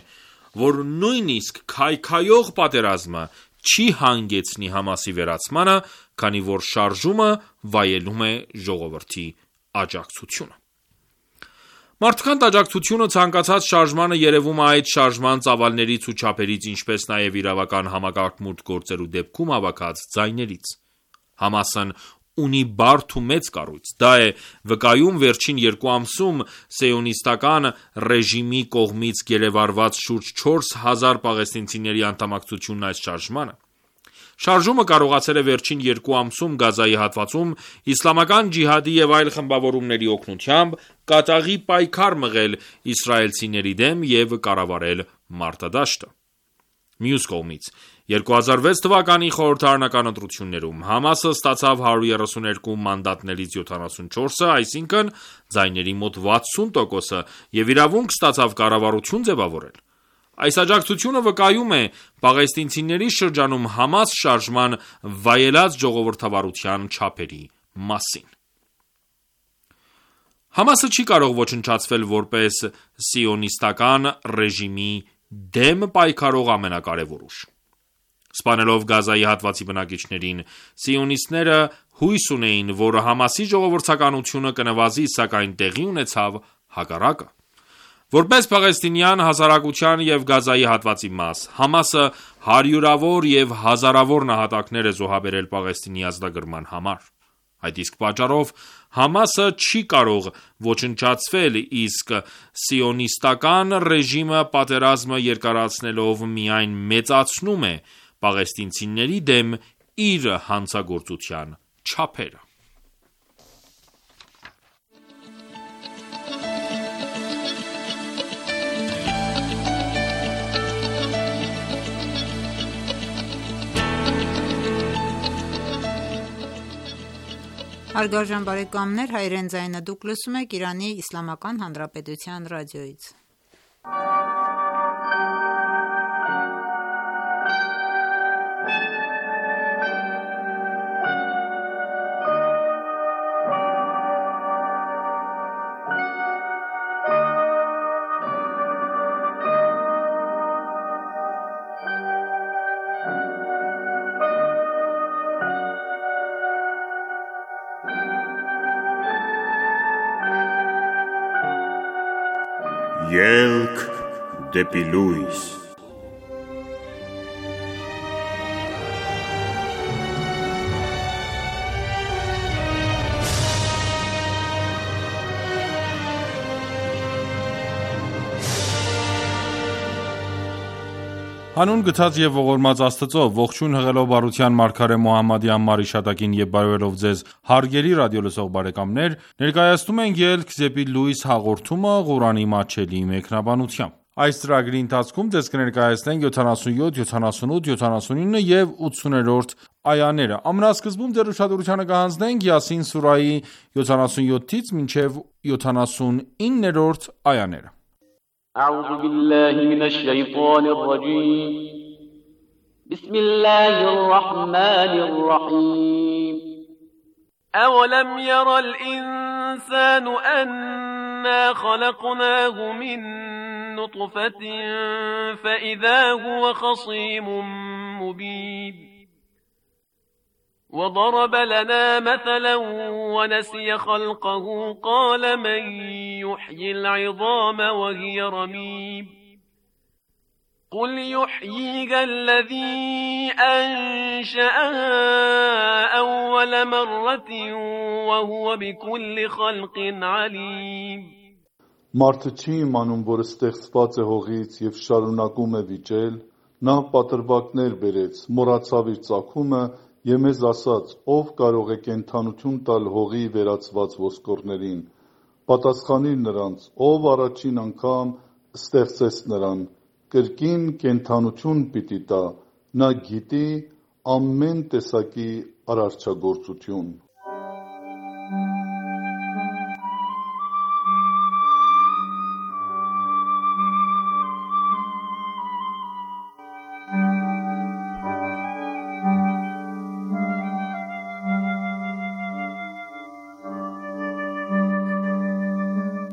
որ նույնիսկ քայքայող պատերազմը չի հանգեցնի Համասի վերացմանը, քանի որ շարժումը վայելում է ժողովրդի աջակցությունը։ Մարդկանց աջակցությունը ցանկացած շարժմանը երևում է այդ շարժման ծավալներից ու չափերից, ինչպես նաև իրավական համակարգ գործելու դեպքում հավաքած ձայներից։ Համասն ունի բարդ ու մեծ կառույց, դա է վկայում վերջին երկու ամսում սիոնիստական ռեժիմի կողմից գերեվարված շուրջ չորս հազար պաղեստինցիների անդամակցությունն այս շարժմանը։ Շարժումը կարողացել է վերջին երկու ամսում Գազայի հատվածում իսլամական ջիհադի և այլ խմբավորումների օգնությամբ կատաղի պայքար մղել իսրայելցիների դեմ և կառավարել մարտադաշտը։ Մյուս կողմից, երկու հազար վեց թվականի խորհրդարանական ընտրություններում Համասը ստացավ հարյուր երեսունյոթ մանդատներից յոթանասունչորսը, այսինքն ձայների մոտ վաթսուն տոկոսը և իրավունք ստացավ կառավարություն ձևավորել։ Այս աջակցությունը վկայում է պաղեստինցիների շրջանում Համաս շարժման վայելած ժողովրդավարության չափերի մասին։ Համասը չի կարող ոչնչացվել որպես սիոնիստական ռեժիմի դեմ պայքարող ամենակարևոր ուժ։ Սպանելով Գազայի հատվածի բնակիչներին, սիոնիստները հույս ունեին, որ Համասի ժողովրդականությունը կնվազի, սակայն տեղի ունեցավ հակառակը։ Որպես պաղեստինյան հասարակության և Գազայի հատվածի մաս, Համասը հարյուրավոր և հազարավոր նահատակներ է զոհաբերել Պաղեստինի ազատագրման համար։ Այդ իսկ պատճառով Համասը չի կարող ոչնչացվել, իսկ սիոնիստական ռեժիմը պատերազմը երկարացնելով միայն մեծացնում է պաղեստինցիների դեմ իր հանցագործության չափերը։ Հարգարժան բարեկամներ, հայրեն ձայնը դուք լսում եք Իրանի Իսլամական Հանրապետության ռադիոյից։ Ելք դեպի լույս։ Հանուն գթած և ողորմած Աստծո, ողջույն հղելով բարության մարգարե Մոհամմադի անմար իշատակին և բարևելով ձեզ հարգելի ռադիոլսող բարեկամներ, ներկայացնում ենք «Ելք դեպի լույս» հաղորդումը Ղուրանի մատչելի մեկնաբանությամբ: Այս ծրագրի ընթացքում ձեզ կներկայացնենք յոթանասունյոթ, յոթանասունութ, յոթանասունինը եւ ութսուներորդ այաները։ Ամենասկզբում ձեր ուշադրությանը կհանձնենք Յասին սուրահի յոթանասունյոթից մինչև յոթանասունիններորդ այաները։ أعوذ بالله من الشيطان الرجيم بسم الله الرحمن الرحيم أولم ير الإنسان أنا خلقناه من نطفة فإذا هو خصيم مبين وضرب لنا مثلا ونسي خلقه قال من يحيي العظام وهي رميم قل يحييها الذي أنشأها أول مرة وهو بكل خلق عليم Մարդը չի իմանում, որ ստեղծված է հողից և շարունակում է վիճել, նա պատրվակներ բերեց, մոռացավ իր ծագումը և մեզ ասաց, ով կարող է կենդանություն տալ հողի վերածված ոսկորներին, պատասխանիր նրանց, ով առաջին անգամ ստեղծեց նրան, կրկին կենդանություն պիտի տա, նա գիտի ամեն տեսակի արարչագործություն։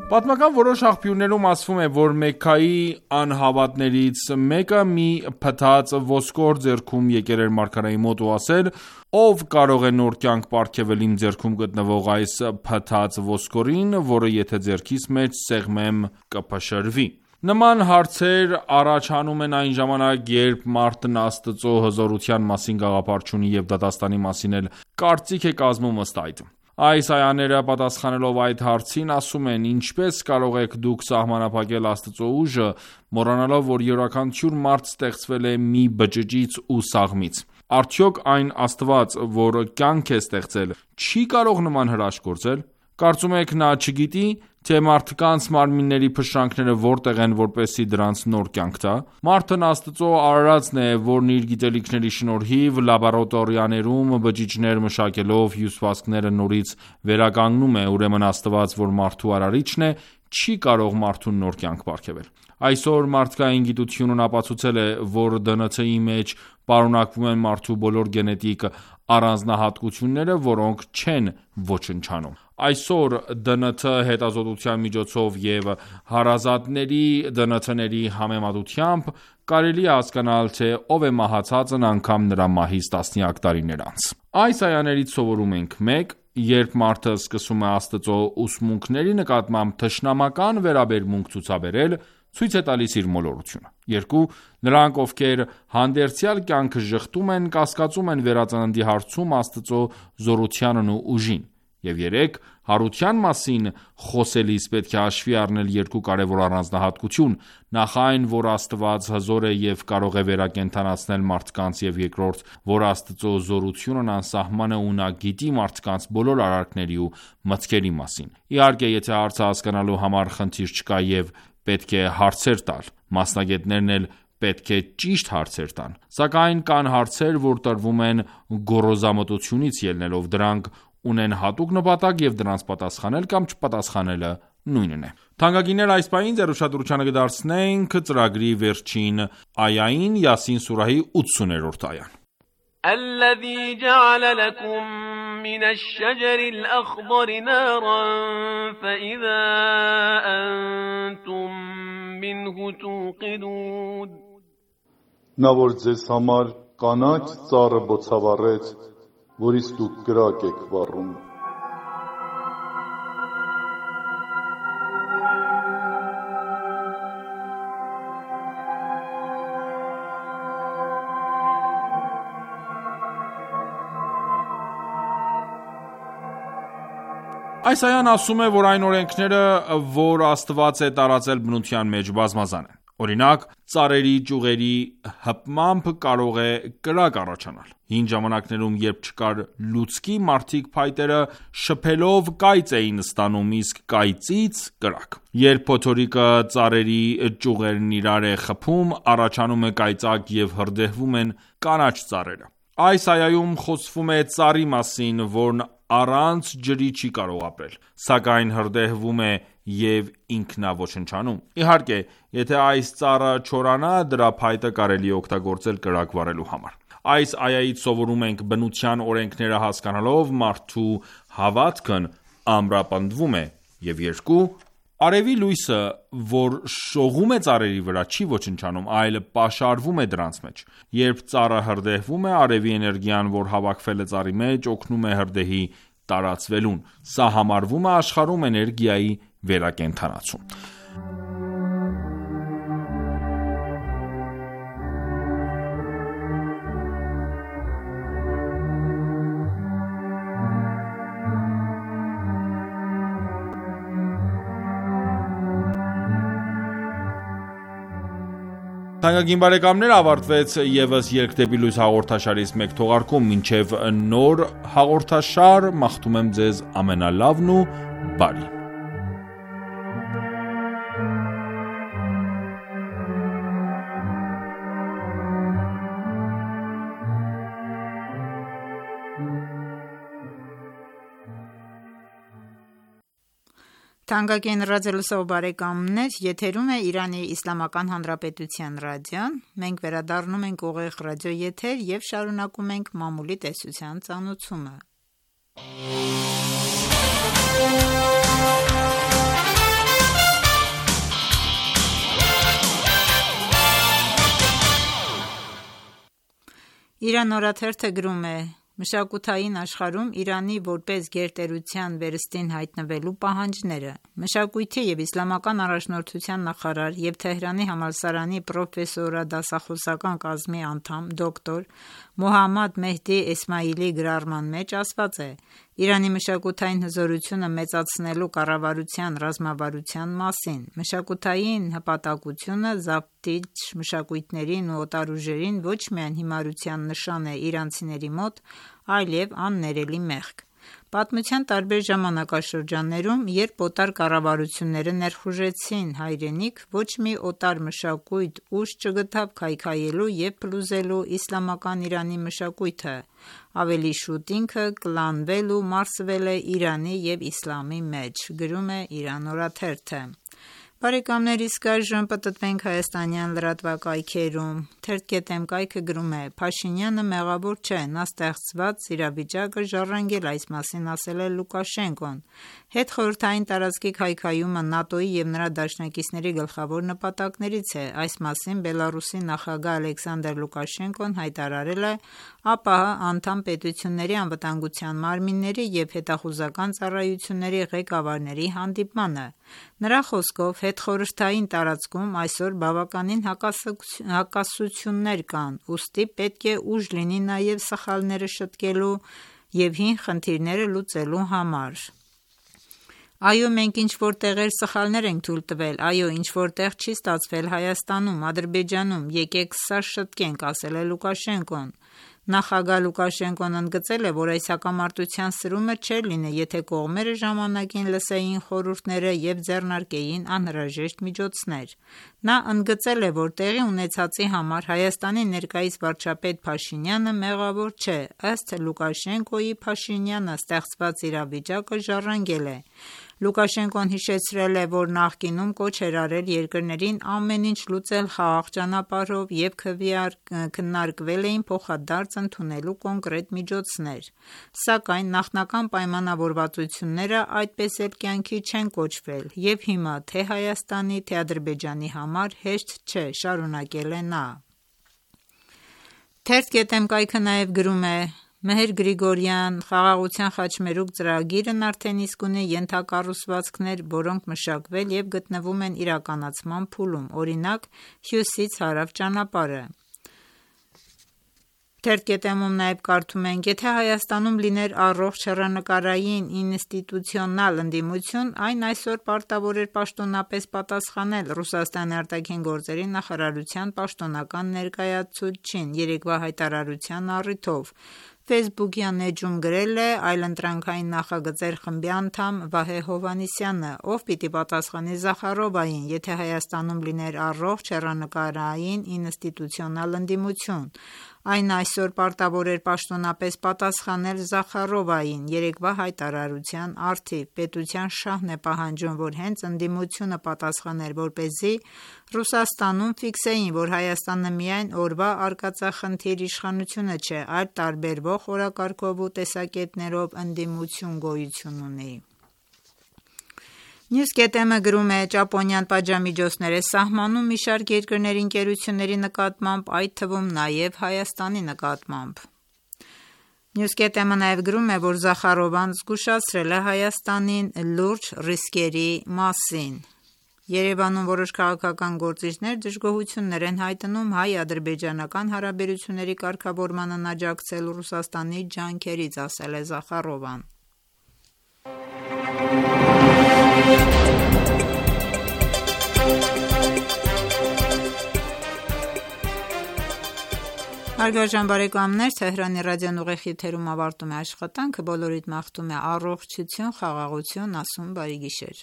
Պատմական որոշ աղբյուրներում ասվում է, որ Մեքքայի անհավատներից մեկը մի փտած ոսկոր ձեռքում եկել էր մարգարեի մոտ ու ասել. «Ով կարող է նոր կյանք պարգևել իմ ձեռքում գտնվող այս փտած ոսկորին, որը եթե ձեռքիս մեջ սեղմեմ կփշրվի»։ Նման հարցեր առաջանում են այն ժամանակ, երբ մարդն Աստծո հզորության մասին գաղափար չունի և դատաստանի մասին էլ կարծիք է կազմում ըստ այդ։ Այս այաները պատասխանելով այդ հարցին ասում են. ինչպես կարող եք դուք սահմանափակել Աստծո ուժը, մոռանալով, որ յուրաքանչյուր մարդ ստեղծվել է մի բջջից ու սաղմից։ Արդյոք այն Աստված, որ կյանք է ստեղծել, չի կարող նման հրաշք գործել։ Կարծում եք նա չգիտի, թե մարդկանց մարմինների փշրանքները որտեղ են, որպեսզի դրանց նոր կյանք տա։ Մարդն Աստծո արարածն է, որն իր գիտելիքների շնորհիվ լաբորատորիաներում բջիջներ մշակելով հյուսվածքները նորից վերականգնում է, ուրեմն Աստված, որ մարդու արարիչն է, չի կարող մարդուն նոր կյանք պարգևել։ Այսօր մարդկային գիտությունն ապացուցել է, որ դե են թի-ի մեջ պարունակվում են մարդու բոլոր գենետիկ առանձնահատկությունները, որոնք չեն ոչնչանում։ Այսօր դե են թի հետազոտության միջոցով և հարազատների դե են թիների համեմատությամբ կարելի է հասկանալ, թե ով է մահացածն անգամ նրա մահից տասնյակ տարիներ անց։ Այս այաներից սովորում ենք. մեկ. Երբ մարդը սկսում է Աստծո ուսմունքների նկատմամբ թշնամական վերաբերմունք ցուցաբերել, ցույց է տալիս իր մոլորությունը։ երկու. Նրանք, ովքեր հանդերձյալ կյանքը ժխտում են, կասկածում են վերածննդի հարցում Աստծո զորությանն ու ուժին։ Եվ երեք. Հարության մասին խոսելիս պետք է հաշվի առնել երկու կարևոր առանձնահատկություն՝ նախ այն, որ Աստված հզոր է և կարող է վերակենդանացնել մարդկանց, և երկրորդ, որ Աստծո զորությունն անսահման է ու նա գիտի մարդկանց բոլոր արարքների ու մտքերի մասին։ Իհարկե, եթե հարցը հասկանալու համար խնդիր չկա և պետք է հարցեր տալ, մասնագետներն էլ պետք է ճիշտ հարցեր տան։ Սակայն կան հարցեր, որ տրվում են գոռոզամտությունից ելնելով, դրանք ունեն հատուկ նպատակ և դրանց պատասխանել կամ չպատասխանելը նույնն է։ Թանկագիններ, այս պահին ձեր ուշադրությանը կդարձնենք ծրագրի վերջին այային, Յասին սուրահի ութսուներորդ այան։ الذي جعل لكم من الشجر الأخضر نارا فإذا أنتم منه توقدون Նա որ ձեզ համար կանաչ ծառը բոցավառեց, որից դուք կրակ եք վառում։ Այս այան ասում է, որ այն օրենքները, որ Աստված է տարածել բնության մեջ, բազմազան են։ Օրինակ, ծառերի ճյուղերի հպմամբ կարող է կրակ առաջանալ։ Հին ժամանակներում, երբ չկար լուցկի, մարդիկ փայտերը շփելով կայծ էին ստանում, իսկ կայծից կրակ։ Երբ փոթորիկը ծառերի ճյուղերն իրար է խփում, առաջանում է կայծակ և հրդեհվում են կանաչ ծառերը։ Այս այայում խոսվում է ծառի մասին, որն առանց ջրի չի կարող ապրել, սակայն հրդեհվում է և ինքնաոչնչանում։ Իհարկե, եթե այս ծառը չորանա, դրա փայտը կարելի է օգտագործել կրակ վառելու համար։ Այս այայից սովորում ենք բնության օրենքները հասկանալով մարդու հավատքն ամրապնդվում է։ Եվ երկու. Արևի լույսը, որ շողում է ծառերի վրա, չի ոչնչանում, այլ պաշարվում է դրանց մեջ։ Երբ ծառը հրդեհվում է, արևի էներգիան, որ հավաքվել է ծառի մեջ, օգնում է հրդեհի տարածվելուն։ Սա համարվում է աշխարհում էներգիայի վերակենդանացում։ Թանկագին բարեկամներ, ավարտվեց ևս «Ելք դեպի լույս» հաղորդաշարից մեկ թողարկում։ Մինչև նոր հաղորդաշար, մաղթում եմ ձեզ ամենալավն ու բարին։ Թանկագին ռադիոլսող բարեկամներ, եթերում է Իրանի Իսլամական Հանրապետության ռադիոն։ Մենք վերադառնում ենք ուղիղ ռադիոեթեր և շարունակում ենք մամուլի տեսության ծանոթումը։ Իրան օրաթերթը գրում է. Մշակութային աշխարհում Իրանի որպես գերտերության վերստին հայտնվելու պահանջները։ Մշակույթի և իսլամական առաջնորդության նախարար և Թեհրանի համալսարանի պրոֆեսորադասախոսական կազմի անդամ դոկտոր Մոհամմադ Մեհդի Էսմայիլի գրառման մեջ ասված է. Իրանի մշակութային հզորությունը մեծացնելու կառավարության ռազմավարության մասին։ Մշակութային հպատակությունը զավթիչ մշակույթներին ու օտար ուժերին ոչ միայն հիմարության նշան է իրանցիների մոտ, այլև աններելի մեղք։ Պատմության տարբեր ժամանակաշրջաններում, երբ օտար կառավարությունները ներխուժեցին հայրենիք, ոչ մի օտար մշակույթ ուժ չգտավ քայքայելու և փլուզելու իսլամական Իրանի մշակույթը, ավելի շուտ ինքը կլանվել ու մարսվել է Իրանի և իսլամի մեջ, գրում է Իրան օրաթերթը։ Բարեկամներ, իսկ այժմ պտտվենք հայաստանյան լրատվակայքերում։ Թերթ.am կայքը գրում է. Փաշինյանը մեղավոր չէ, նա ստեղծված իրավիճակը ժառանգել, այս մասին ասել է Լուկաշենկոն։ Հետխորհրդային տարածքի քայքայումը ՆԱՏՕ-ի և նրա դաշնակիցների գլխավոր նպատակներից է։ Այս մասին Բելառուսի նախագահ Ալեքսանդր Լուկաշենկոն հայտարարել է ԱՊՀ անդամ պետությունների անվտանգության մարմինների և հետախուզական ծառայությունների ղեկավարների հանդիպմանը։ Նրա խոսքով, հետխորհրդային տարածքում այսօր բավականին հակասություններ կան, ուստի պետք է ուժ լինի նաև սխալները շտկելու և հին խնդիրները լուծելու համար։ Այո, մենք ինչ-որ տեղեր սխալներ ենք թույլ տվել, այո, ինչ-որ տեղ չի ստացվել Հայաստանում, Ադրբեջանում, եկեք սա շտկենք, ասել է Լուկաշենկոն։ Նախագահ Լուկաշենկոն ընդգծել է, որ այս հակամարտության սրումը չէր լինի, եթե կողմերը ժամանակին լսեին խորհուրդները և ձեռնարկեին անհրաժեշտ միջոցներ։ Նա ընդգծել է, որ տեղի ունեցածի համար Հայաստանի ներկայիս վարչապետ Փաշինյանը մեղավոր չէ, ըստ Լուկաշենկոյի Փաշինյանը ստեղծված իրավիճակը ժառանգել է։ Լուկաշենկոն հիշեցրել է, որ նախկինում կոչ էր արել երկրներին ամեն ինչ լուծել խաղաղ ճանապարհով և քննարկվել էին փոխադարձ ընդունելու կոնկրետ միջոցներ։ Սակայն նախնական պայմանավորվածությունները այդպես էլ կյանքի չեն կոչվել, և հիմա թե Հայաստանի, թե Ադրբեջանի համար հեշտ չէ, շարունակել է նա։ Թերթ.am կայքը նաև գրում է. Մեհեր Գրիգորյան խաղաղության խաչմերուկ ծրագիրն արդեն իսկ ունի ենթակառուցվածքներ, որոնք մշակվել և գտնվում են իրականացման փուլում, օրինակ՝ հյուսից հարավ ճանապարհը։ Թերթ.am-ում նաև կարդում ենք. եթե Հայաստանում լիներ առողջ հեռանկարային ինստիտուցիոնալ ընդդիմություն, այն այսօր պարտավոր էր պաշտոնապես պատասխանել Ռուսաստանի արտաքին գործերի նախարարության պաշտոնական ներկայացուցչին երեկվա հայտարարության առիթով։ Facebook-յան էջում գրել է այլընտրանքային նախագծեր խմբի անդամ Վահե Հովհաննիսյանը, ով պիտի պատասխանի Զախարովային, եթե Հայաստանում լիներ առողջ հեռանկարային ինստիտուցիոնալ ընդդիմություն։ Այն այսօր պարտավոր էր պաշտոնապես պատասխանել Զախարովային երեկվա հայտարարության առթիվ։ Պետության շահն է պահանջում, որ հենց ընդդիմությունը պատասխաներ, որպեսզի Ռուսաստանում ֆիքսեին, որ Հայաստանը միայն օրվա արկածախնդիր իշխանությունը չէ, այլ տարբերվող օրակարգով ու տեսակետներով ընդդիմություն գոյություն ունի։ News.am-ը գրում է. Ճապոնիան պատժամիջոցներ է սահմանում մի շարք երկրների ընկերությունների նկատմամբ, այդ թվում նաև Հայաստանի նկատմամբ։ News.am-ը նաև գրում է, որ Զախարովան զգուշացրել է Հայաստանին լուրջ ռիսկերի մասին։ Երևանում որոշ քաղաքական գործիչներ դժգոհություններ են հայտնում հայ-ադրբեջանական հարաբերությունների կարգավորմանը աջակցել Ռուսաստանի ջանքերից, ասել է Զախարովան։ Հարգարժան բարեկամներ, Թեհրանի ռադիոն ուղիղ եթերում ավարտում է աշխատանքը, բոլորիդ մաղթում է առողջություն, խաղաղություն, ասում բարի գիշեր։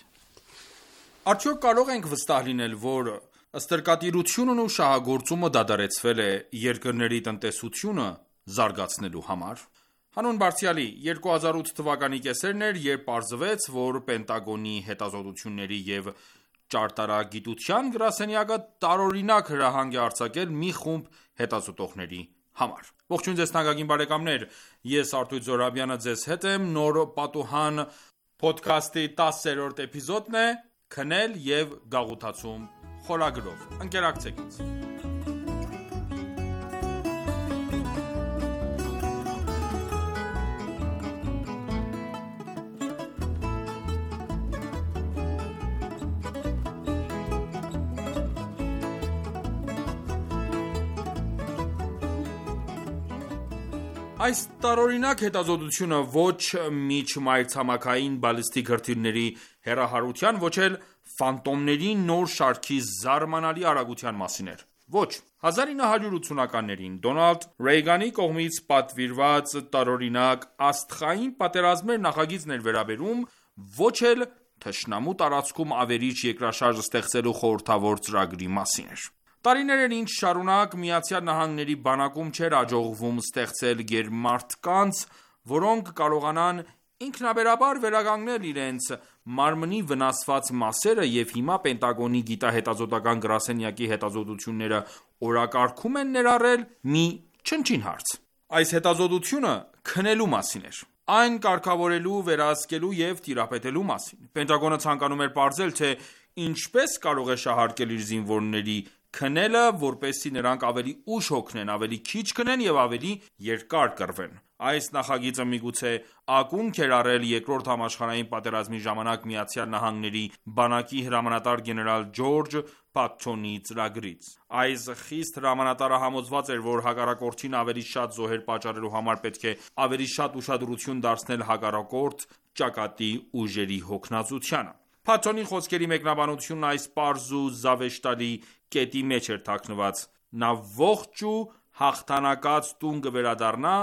Արդյոք կարող ենք վստահ լինել, որ ստրկատիրությունն ու շահագործումը դադարեցվել է երկրների տնտեսությունը զարգացնելու համար։ Հանուն Բարձրյալի երկու հազար ութ թվականի կեսերն էր, երբ պարզվեց, որ Պենտագոնի հետազոտությունների և ճարտարագիտության գրասենյակը տարօրինակ հրահանգ է արձակել մի խումբ հետազոտողների համար։ Ողջույն ձեզ թանկագին բարեկամներ, ես Արտույտ Զոհրաբյանը ձեզ հետ եմ, նոր պատուհան փոդքասթի տասերորդ էպիզոդն է «Քնել և գաղութացում» խորագրով։ Ընկերակցեք ինձ։ Այս տարօրինակ հետազոտությունը ոչ միջմայրցամաքային բալիստիկ հրթիռների հեռահարության, ոչ էլ ֆանտոմների նոր շարքի զարմանալի արագության մասին էր։ Ոչ։ հազար ինը հարյուր ութսունականներին Դոնալդ Ռեյգանի կողմից պատվիրված տարօրինակ «Աստղային պատերազմներ» նախագիծն էր վերաբերում, ոչ էլ թշնամու տարածքում ավերիչ երկրաշարժ ստեղծելու խորհրդավոր ծրագրի մասին էր։ Տարիներ էր ինչ շարունակ Միացյալ Նահանգների բանակում չէր հաջողվում ստեղծել գերմարդկանց, որոնք կարողանան ինքնաբերաբար վերականգնել իրենց մարմնի վնասված մասերը, և հիմա Պենտագոնի գիտահետազոտական գրասենյակի հետազոտությունները օրակարգում են ներառել մի չնչին հարց։ Այս հետազոտությունը քնելու մասին էր։ Այն կարգավորելու, վերահսկելու և տիրապետելու մասին։ Պենտագոնը ցանկանում էր պարզել, թե ինչպես կարող է շահարկել իր զինվորների քնելը, որպեսզի նրանք ավելի ուշ հոգնեն, ավելի քիչ քնեն և ավելի երկար կռվեն։ Այս նախագիծը միգուցե ակունք էր առել Երկրորդ համաշխարհային պատերազմի ժամանակ Միացյալ Նահանգների բանակի հրամանատար գեներալ Ջորջ Փաթթոնի ծրագրից։ Այս խիստ հրամանատարը համոզված էր, որ հակառակորդին ավելի շատ զոհեր պատճառելու համար պետք է ավելի շատ ուշադրություն դարձնել հակառակորդ ճակատի ուժերի հոգնածությանը։ Փաթթոնի խոսքերի մեկնաբանությունն այս պարզ ու զավեշտալի կետի մեջ էր թաքնված. նա ողջ ու հաղթանակած տուն կվերադառնա,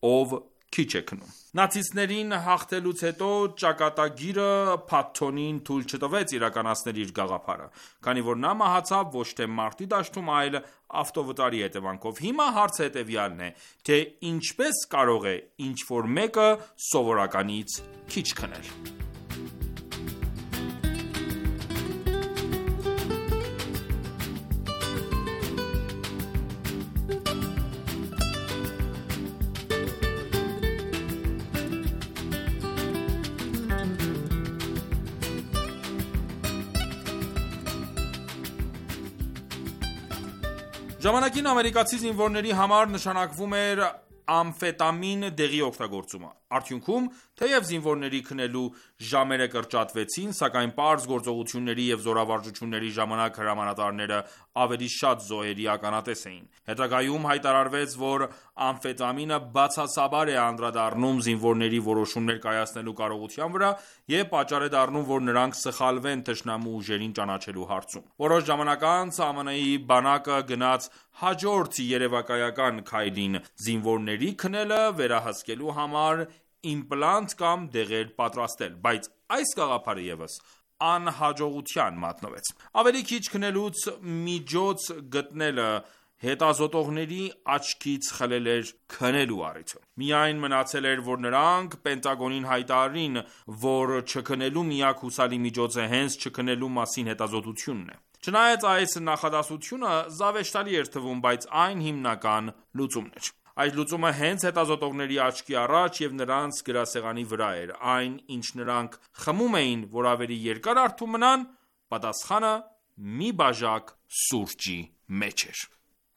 ով քիչ է քնում։ Նացիստներին հաղթելուց հետո ճակատագիրը Փաթթոնին թույլ չտվեց իրականացնել իր գաղափարը, քանի որ նա մահացավ ոչ թե մարտի դաշտում, այլ ավտովթարի հետևանքով։ Հիմա հարցը հետևյալն է, թե ինչպես կարող է ինչ-որ մեկը սովորականից քիչ քնել։ Ժամանակին ամերիկացի զինվորների համար նշանակվում էր ամֆետամին դեղի օգտագործումը։ Արդյունքում, թեև զինվորների քնելու ժամերը կրճատվեցին, սակայն պարզ գործողությունների և զորավարժությունների ժամանակ հրամանատարները ավելի շատ զոհերի ականատես էին։ Հետագայում հայտարարվեց, որ ամֆետամինը բացասաբար է անդրադառնում զինվորների որոշումներ կայացնելու կարողության վրա և պատճառ է դառնում, որ նրանք սխալվեն թշնամու ուժերին ճանաչելու հարցում։ Որոշ ժամանակ անց ԱՄՆ-ի բանակը գնաց հաջորդ երևակայական քայլին՝ զինվորների քնելը վերահսկելու համար իմպլանտ կամ դեղեր պատրաստել, բայց այս գաղափարը ևս անհաջողության մատնվեց։ Ավելի քիչ քնելուց միջոց գտնելը հետազոտողների աչքից խլել էր քնելու առիթը։ Միայն մնացել էր, որ նրանք Պենտագոնին հայտարարին, որ չքնելու միակ հուսալի միջոցը հենց չքնելու մասին հետազոտությունն է։ Չնայած այս նախադասությունը զավեշտալի էր թվում, բայց այն հիմնական լուծումն էր։ Այս լուծումը հենց հետազոտողների աչքի առաջ և նրանց գրասեղանի վրա էր։ Այն, ինչ նրանք խմում էին, որ ավելի երկար արթուն մնան, պատասխանը մի բաժակ սուրճի մեջ էր։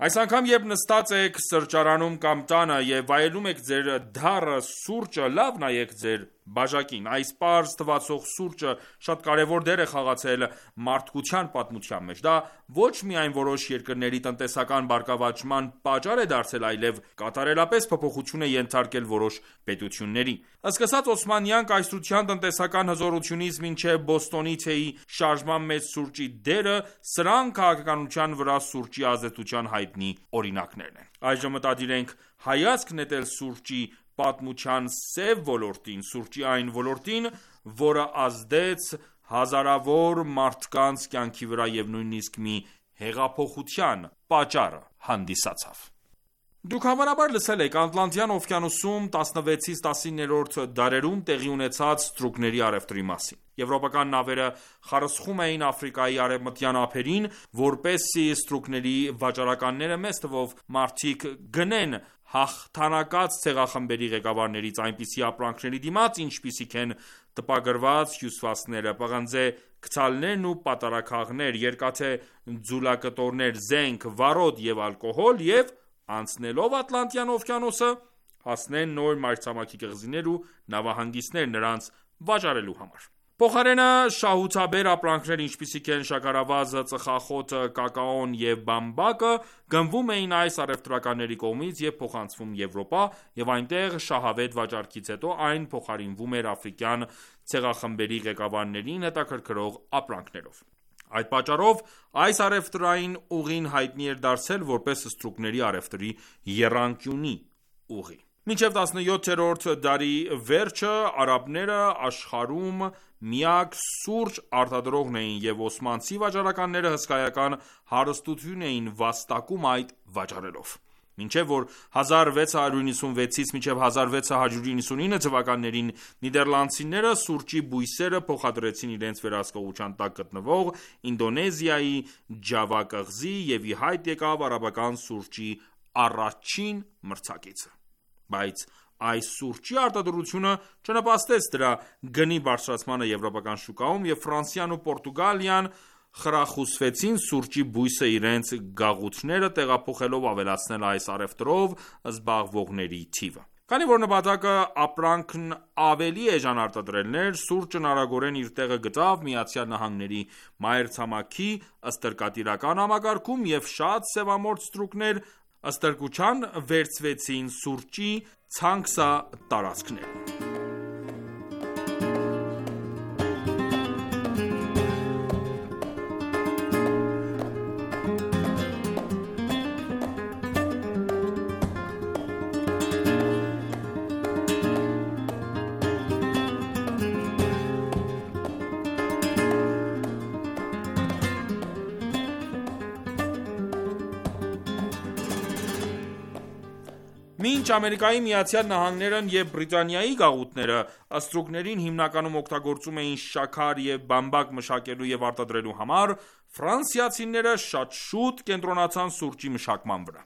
Այս անգամ, երբ նստած եք սրճարանում կամ տանը և վայելում եք ձեր դառը սուրճը, լավ նայեք ձեր բաժակին։ Այս պարզ թվացող սուրճը շատ կարևոր դեր է խաղացել մարդկության պատմության մեջ։ Դա ոչ միայն որոշ երկրների տնտեսական բարգավաճման պատճառ է դարձել, այլև կատարելապես փոփոխություն է ենթարկել որոշ պետությունների։ Սկսած օսմանյան կայսրության տնտեսական հզորությունից մինչև Բոստոնի թեյի շարժման մեջ սուրճի դերը, սրանք քաղաքականության վրա սուրճի ազդեցության հայտնի օրինակներն են։ Այժմ մտադիր ենք հայացք նետել սուրճի պատմության սև ոլորտին, սուրճի այն ոլորտին, որը ազդեց հազարավոր մարդկանց կյանքի վրա և նույնիսկ մի հեղափոխության պատճառը հանդիսացավ։ Դուք հավանաբար լսել եք Ատլանտյան օվկիանոսում տասնվեցից տասիններորդ դարերում տեղի ունեցած ստրուկների առևտրի մասին։ Եվրոպական նավերը խարսխում էին Աֆրիկայի արևմտյան ափերին, որպեսզի ստրուկների վաճառականները մեծ թվով մարդիկ գնեն հաղթանակած ցեղախմբերի ղեկավարներից այնպիսի ապրանքների դիմաց, ինչպիսիք են տպագրված հյուսվածքները, պղնձե գդալներն ու պատառաքաղներ, երկաթե ձուլակտորներ, զենք, վարոդ և ալկոհոլ և անցնելով Ատլանտյան օվկիանոսը հասնեն նոր մայրցամաքի կղզիներ ու նավահանգիստներ նրանց վաճառելու համար։ Փոխարենը շահութաբեր ապրանքներ, ինչպիսիք են շաքարավազը, ծխախոտը, կակաոն և բամբակը, գնվում էին այս առևտրականների կողմից և փոխանցվում Եվրոպա, և այնտեղ շահավետ վաճառքից հետո այն փոխարինվում էր աֆրիկյան ցեղախմբերի ղեկավարներին հետաքրքրող ապրանքներով։ Այդ պատճառով այս առևտրային ուղին հայտնի էր դարձել որպես ստրուկների առևտրի եռանկյունի ուղի։ Մինչև տասնյոթերորդ դարի վերջը արաբները աշխարհում միակ սուրճ արտադրողն էին և օսմանցի վաճառականները հսկայական հարստություն էին վաստակում այդ վաճառելով։ Մինչև որ հազար վեց հարյուր նվաթյունվեցից մինչև հազար վեց հարյուր նվաթյունինը թվականներին նիդերլանդցիները սուրճի բույսերը փոխադրեցին իրենց վերահսկողության տակ գտնվող Ինդոնեզիայի Ջավա կղզի և ի հայտ եկավ արաբական սուրճի առաջին մրցակիցը։ Բայց այս սուրճի արտադրությունը չնպաստեց դրա գնի բարձրացմանը եվրոպական շուկայում, և Ֆրանսիան ու Պորտուգալիան խրախուսվեցին սուրճի բույսը իրենց գաղութները տեղափոխելով ավելացնել այս առևտրով զբաղվողների թիվը։ Քանի որ նպատակը ապրանքն ավելի էժան արտադրելն էր, սուրճն արագորեն իր տեղը գտավ Միացյալ Նահանգների մայրցամաքի ստրկատիրական համակարգում և շատ սևամորթ ստրուկներ ստրկության վերցվեցին սուրճի ցանքսատարածքներում։ Մինչ Ամերիկայի Միացյալ Նահանգներն և Բրիտանիայի գաղութները ստրուկներին հիմնականում օգտագործում էին շաքար և բամբակ մշակելու և արտադրելու համար, ֆրանսիացիները շատ շուտ կենտրոնացան սուրճի մշակման վրա։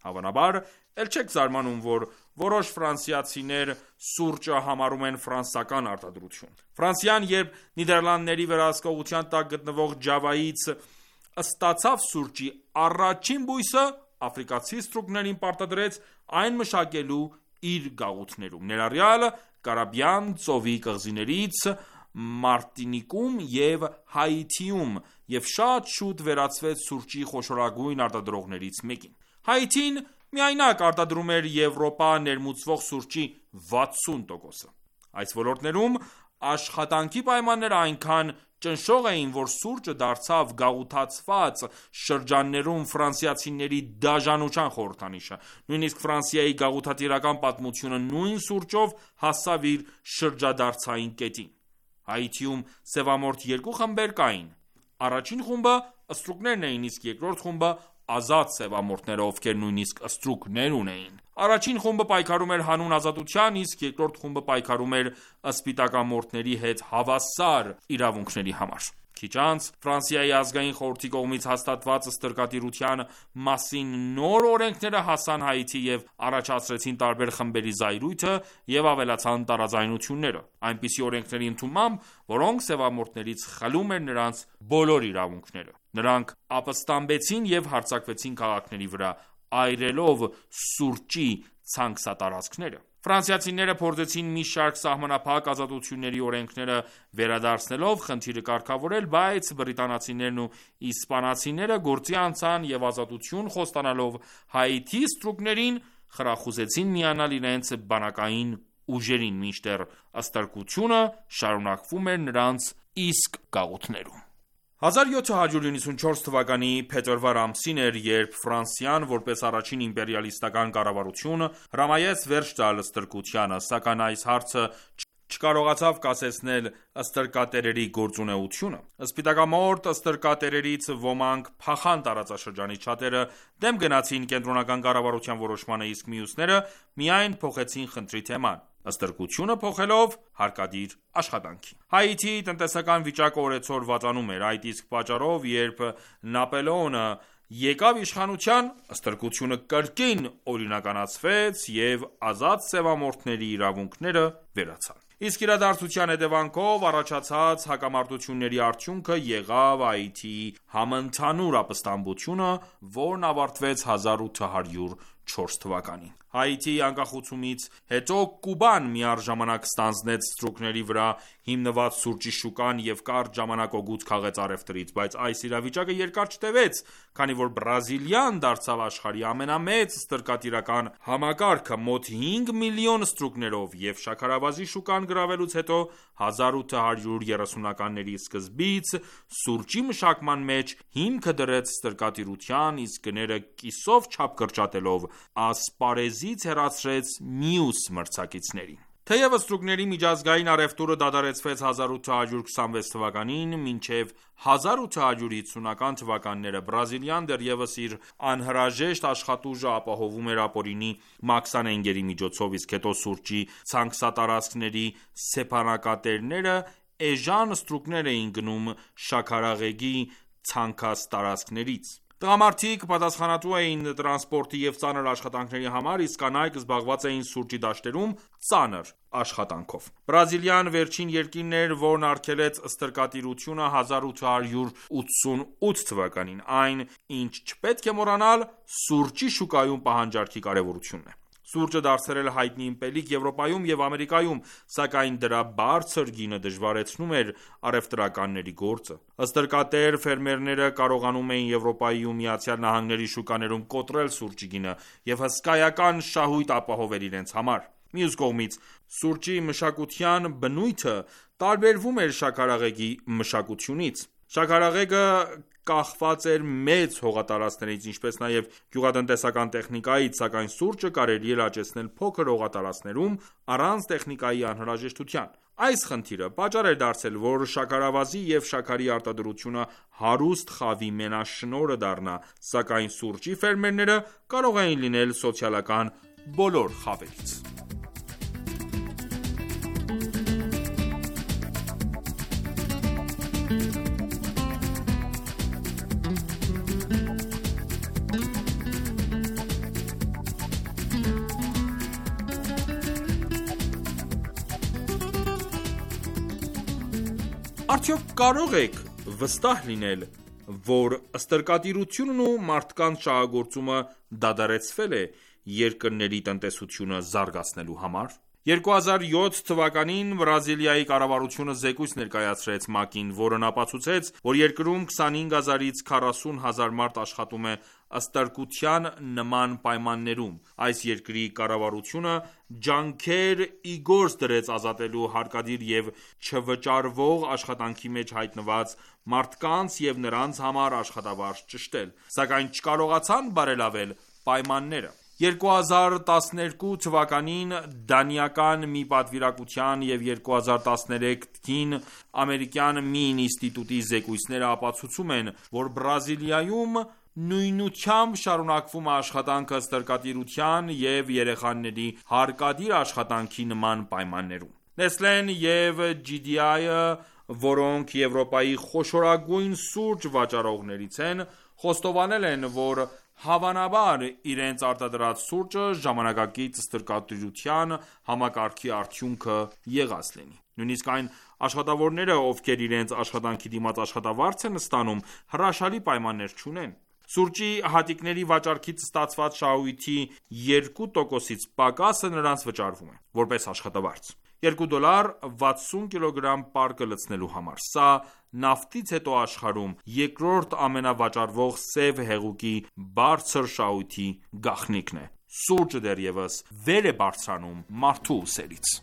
Հավանաբար, էլ չեք զարմանում, որ որոշ ֆրանսիացիներ սուրճը համարում են ֆրանսական արտադրություն։ Ֆրանսիան, երբ Նիդերլանդների վերահսկողության տակ գտնվող Ջավայից ստացավ սուրճի առաջին բույսը, աֆրիկացի ստրուկներին պարտադրեց այն մշակելու իր գաղութներում, ներառյալ Կարիբյան ծովի կղզիներից Մարտինիկում և Հայիթիում և շատ շուտ վերածվեց սուրճի խոշորագույն արտադրողներից մեկին։ Հայիթին միայնակ արտադրում էր Եվրոպա ներմուծվող սուրճի վաթսուն տոկոսը։ Այս ոլորտներում աշխատանքի պայմանները այնքան ճնշող էին, որ սուրճը դարձավ գաղութացված շրջաններում ֆրանսիացիների դաժանության խորհրդանիշը։ Նույնիսկ Ֆրանսիայի գաղութատիրական պատմությունը նույն սուրճով հասավ իր շրջադարձային կետին։ Հայիթիում սևամորթ երկու խմբեր կային։ Առաջին խումբը ստրուկներն էին, իսկ երկրորդ խումբը ազատ սևամորթները, ովքեր նույնիսկ ստրուկներ ունեին։ Առաջին խումբը պայքարում էր հանուն ազատության, իսկ երկրորդ խումբը պայքարում էր սպիտակամորթների հետ հավասար իրավունքների համար։ Քիչ անց Ֆրանսիայի ազգային խորհրդի կողմից հաստատված ստրկատիրության մասին նոր օրենքները հասան Հայիթի և առաջացրեցին տարբեր խմբերի զայրույթը և ավելացան տարաձայնությունները, այնպիսի օրենքների ընդունմամբ, որոնք սևամորթներից խլում էր նրանց բոլոր իրավունքները։ Նրանք ապստամբեցին և հարձակվեցին քաղաքների վրա, այրելով սուրճի ցանքսատարածքները։ Ֆրանսիացիները փորձեցին մի շարք սահմանափակ ազատությունների օրենքները վերադարձնելով խնդիրը կարգավորել, բայց բրիտանացիներն ու իսպանացիները գործի անցան և ազատություն խոստանալով Հայիթի ստրուկներին, խրախուսեցին միանալ իրենց բանակային ուժերին, մինչդեռ ստրկությունը շարունակվում էր նրանց իսկ գաղութներում։ հազար յոթ հարյուր նվաթ թվականի փետրվար ամսին էր, երբ Ֆրանսիան, որպես առաջին իմպերիալիստական կառավարություն, հրամայեց վերջ տալ ստրկությանը, սակայն այս հարցը չկարողացավ կասեցնել ստրկատերերի գործունեությունը։ Սպիտակամորթ ստրկատերերից ոմանք փախան տարածաշրջանից, շատերը դեմ գնացին կենտրոնական կառավարության որոշմանը, իսկ մյուսները միայն փոխեցին խնդրի թեման՝ ստրկությունը փոխելով հարկադիր աշխատանքի։ Հայիթիի տնտեսական վիճակը օրեցօր վատանում էր։ Այդ իսկ պատճառով, երբ Նապոլեոնը եկավ իշխանության, ստրկությունը կրկին օրինականացվեց և ազատ սևամորթների իրավունքները վերացան։ Իսկ իրադարձության հետևանքով առաջացած հակամարտությունների արդյունքը եղավ Հայիթիի համընդհանուր ապստամբությունը, որն ավարտվեց հազար ութ հարյուր չորս թվականին։ Հայիթիի անկախացումից հետո Կուբան միառժամանակ ստանձնեց ստրուկների վրա հիմնված սուրճի շուկան և կարճ ժամանակ օգուտ քաղեց առևտրից, բայց այս իրավիճակը երկար չտևեց, քանի որ Բրազիլիան դարձավ աշխարհի ամենամեծ ստրկատիրական համակարգը մոտ հինգ միլիոն ստրուկներով, և շաքարավազի շուկան գրավելուց հետո հազար ութ հարյուր երեսունականների սկզբից սուրճի մշակման մեջ հիմքը դրեց ստրկատիրության, իսկ գները կիսով չափ կրճատելով ասպարեզից հեռացրեց մյուս մրցակիցներին։ Թեև ստրուկների միջազգային առևտուրը դադարեցվեց հազար ութ հարյուր քսանվեց թվականին, մինչև հազար ութ հարյուր հիսունական թվականները Բրազիլիան դեռևս իր անհրաժեշտ աշխատուժը ապահովում էր ապօրինի մաքսանենգների միջոցով, իսկ հետո սուրճի ցանքսատարածքների սեփականատերերը էժան ստրուկներ էին գնում շաքարեղեգի ցանքսատարածքներից։ Տղամարդիկ պատասխանատու էին տրանսպորտի և ծանր աշխատանքների համար, իսկ կանայք զբաղված էին սուրճի դաշտերում ծանր աշխատանքով։ Բրազիլիան վերջին երկիրն էր, որն արգելեց ստրկատիրությունը հազար ութ հարյուր ութսունութ թվականին։ Այն, ինչ չպետք է մոռանալ, սուրճի շուկայում պահանջարկի կարևորությունն է։ Սուրճը դարձել էր հայտնի ըմպելիք Եվրոպայում և Ամերիկայում, սակայն դրա բարձր գինը դժվարեցնում էր առևտրականների գործը։ Ստրկատեր ֆերմերները կարողանում էին Եվրոպայի ու Միացյալ Նահանգների շուկաներում կոտրել սուրճի գինը և հսկայական շահույթ ապահովել իրենց համար։ Մյուս կողմից, սուրճի մշակության բնույթը տարբերվում էր շաքարեղեգի մշակությունից։ Շաքարեղեգը կախված էր մեծ հողատարածքներից, ինչպես նաև գյուղատնտեսական տեխնիկայից, սակայն սուրճը կարելի էր աճեցնել փոքր հողատարածքներում առանց տեխնիկայի անհրաժեշտության։ Այս խնդիրը պատճառ էր դարձել, որ շաքարավազի և շաքարի արտադրությունը հարուստ խավի մենաշնորհը դառնա, սակայն սուրճի ֆերմերները կարող էին լինել սոցիալական բոլոր խավերից։ Արդյոք կարող եք վստահ լինել, որ ստրկատիրությունն ու մարդկանց շահագործումը դադարեցվել է երկրների տնտեսությունը զարգացնելու համար։ երկու հազար յոթ թվականին Բրազիլիայի կառավարությունը զեկույց ներկայացրեց ՄԱԿ-ին, որն ապացուցեց, որ երկրում քսանհինգ հազարից քառասուն հազար մարդ աշխատում է ստրկության նման պայմաններում։ Այս երկրի կառավարությունը ջանքեր ի գործ դրեց ազատելու հարկադիր և չվճարվող աշխատանքի մեջ հայտնված մարդկանց և նրանց համար աշխատավարձ ճշտել, սակայն չկարողացան բարելավել պայմանները։ երկու հազար տասներկու թվականին դանիական մի պատվիրակության և երկու հազար տասներեքին ամերիկյան մի ինստիտուտի զեկույցները ապացուցում են, որ Բրազիլիայում նույնությամբ շարունակվում է աշխատանքը ստրկատիրության և երեխաների հարկադիր աշխատանքի նման պայմաններում։ Nestlé-ն և ջի դի այ-ը, որոնք Եվրոպայի խոշորագույն սուրճ վաճառողներից են, խոստովանել են, որ հավանաբար իրենց արտադրած սուրճը ժամանակակից ստրկատիրության համակարգի արդյունքը եղած լինի։ Նույնիսկ այն աշխատավորները, ովքեր իրենց աշխատանքի դիմաց աշխատավարձ են ստանում, հրաշալի պայմաններ չունեն։ Սուրճի հատիկների վաճառքից ստացված շահույթի երկու տոկոսից պակասը նրանց վճարվում է, որպես աշխատավարձ։ երկու դոլար վաթսուն կիլոգրամ պարկը լցնելու համար։ Սա նավթից հետո աշխարհում երկրորդ ամենավաճառվող սև հեղուկի բարձր շահույթի գաղտնիքն է։ Սուրճը դեռևս վեր է բարձրանում մարդու ուսերից։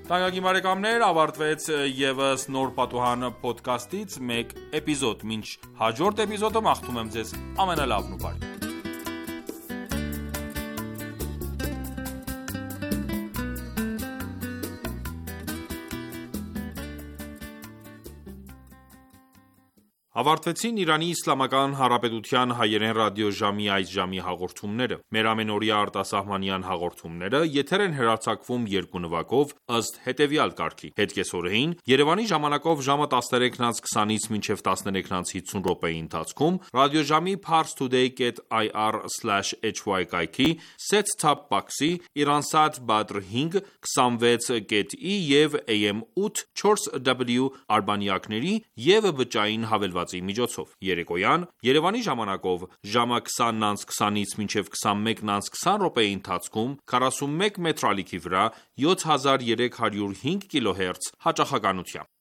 Թանկագին բարեկամներ, ավարտվեց ևս Նոր Պատուհան փոդքասթից մեկ էպիզոդ։ Մինչ հաջորդ էպիզոդը մաղթում եմ ձեզ ամենալավն ու բարին։ Ավարտվեցին Իրանի Իսլամական Հանրապետության հայերեն ռադիոժամի այս ժամի հաղորդումները։ Մեր ամենօրյա արտասահմանյան հաղորդումները եթեր են հեռարձակվում երկու նվագով ըստ հետևյալ կարգի՝ հետկեսօրեին Երևանի ժամանակով ժամը տասներեքն անց քսանից մինչև տասներեքն անց հիսուն րոպեի ընթացքում ռադիոժամի parstoday dot i r slash h y կայքի set-top box-ի Iransat Badr հինգ քսանվեց կետ ի և A M ութ չորս W արբանյակների և բջջային հավելվածի միջոցով։ Երեկոյան Երևանի ժամանակով ժամը քսանն անց քսանից մինչև քսանմեկն անց քսան րոպեի ընթացքում քառասունմեկ մետր ալիքի վրա յոթ հազար երեք հարյուր հինգ կիլոհերց հաճախականությամբ։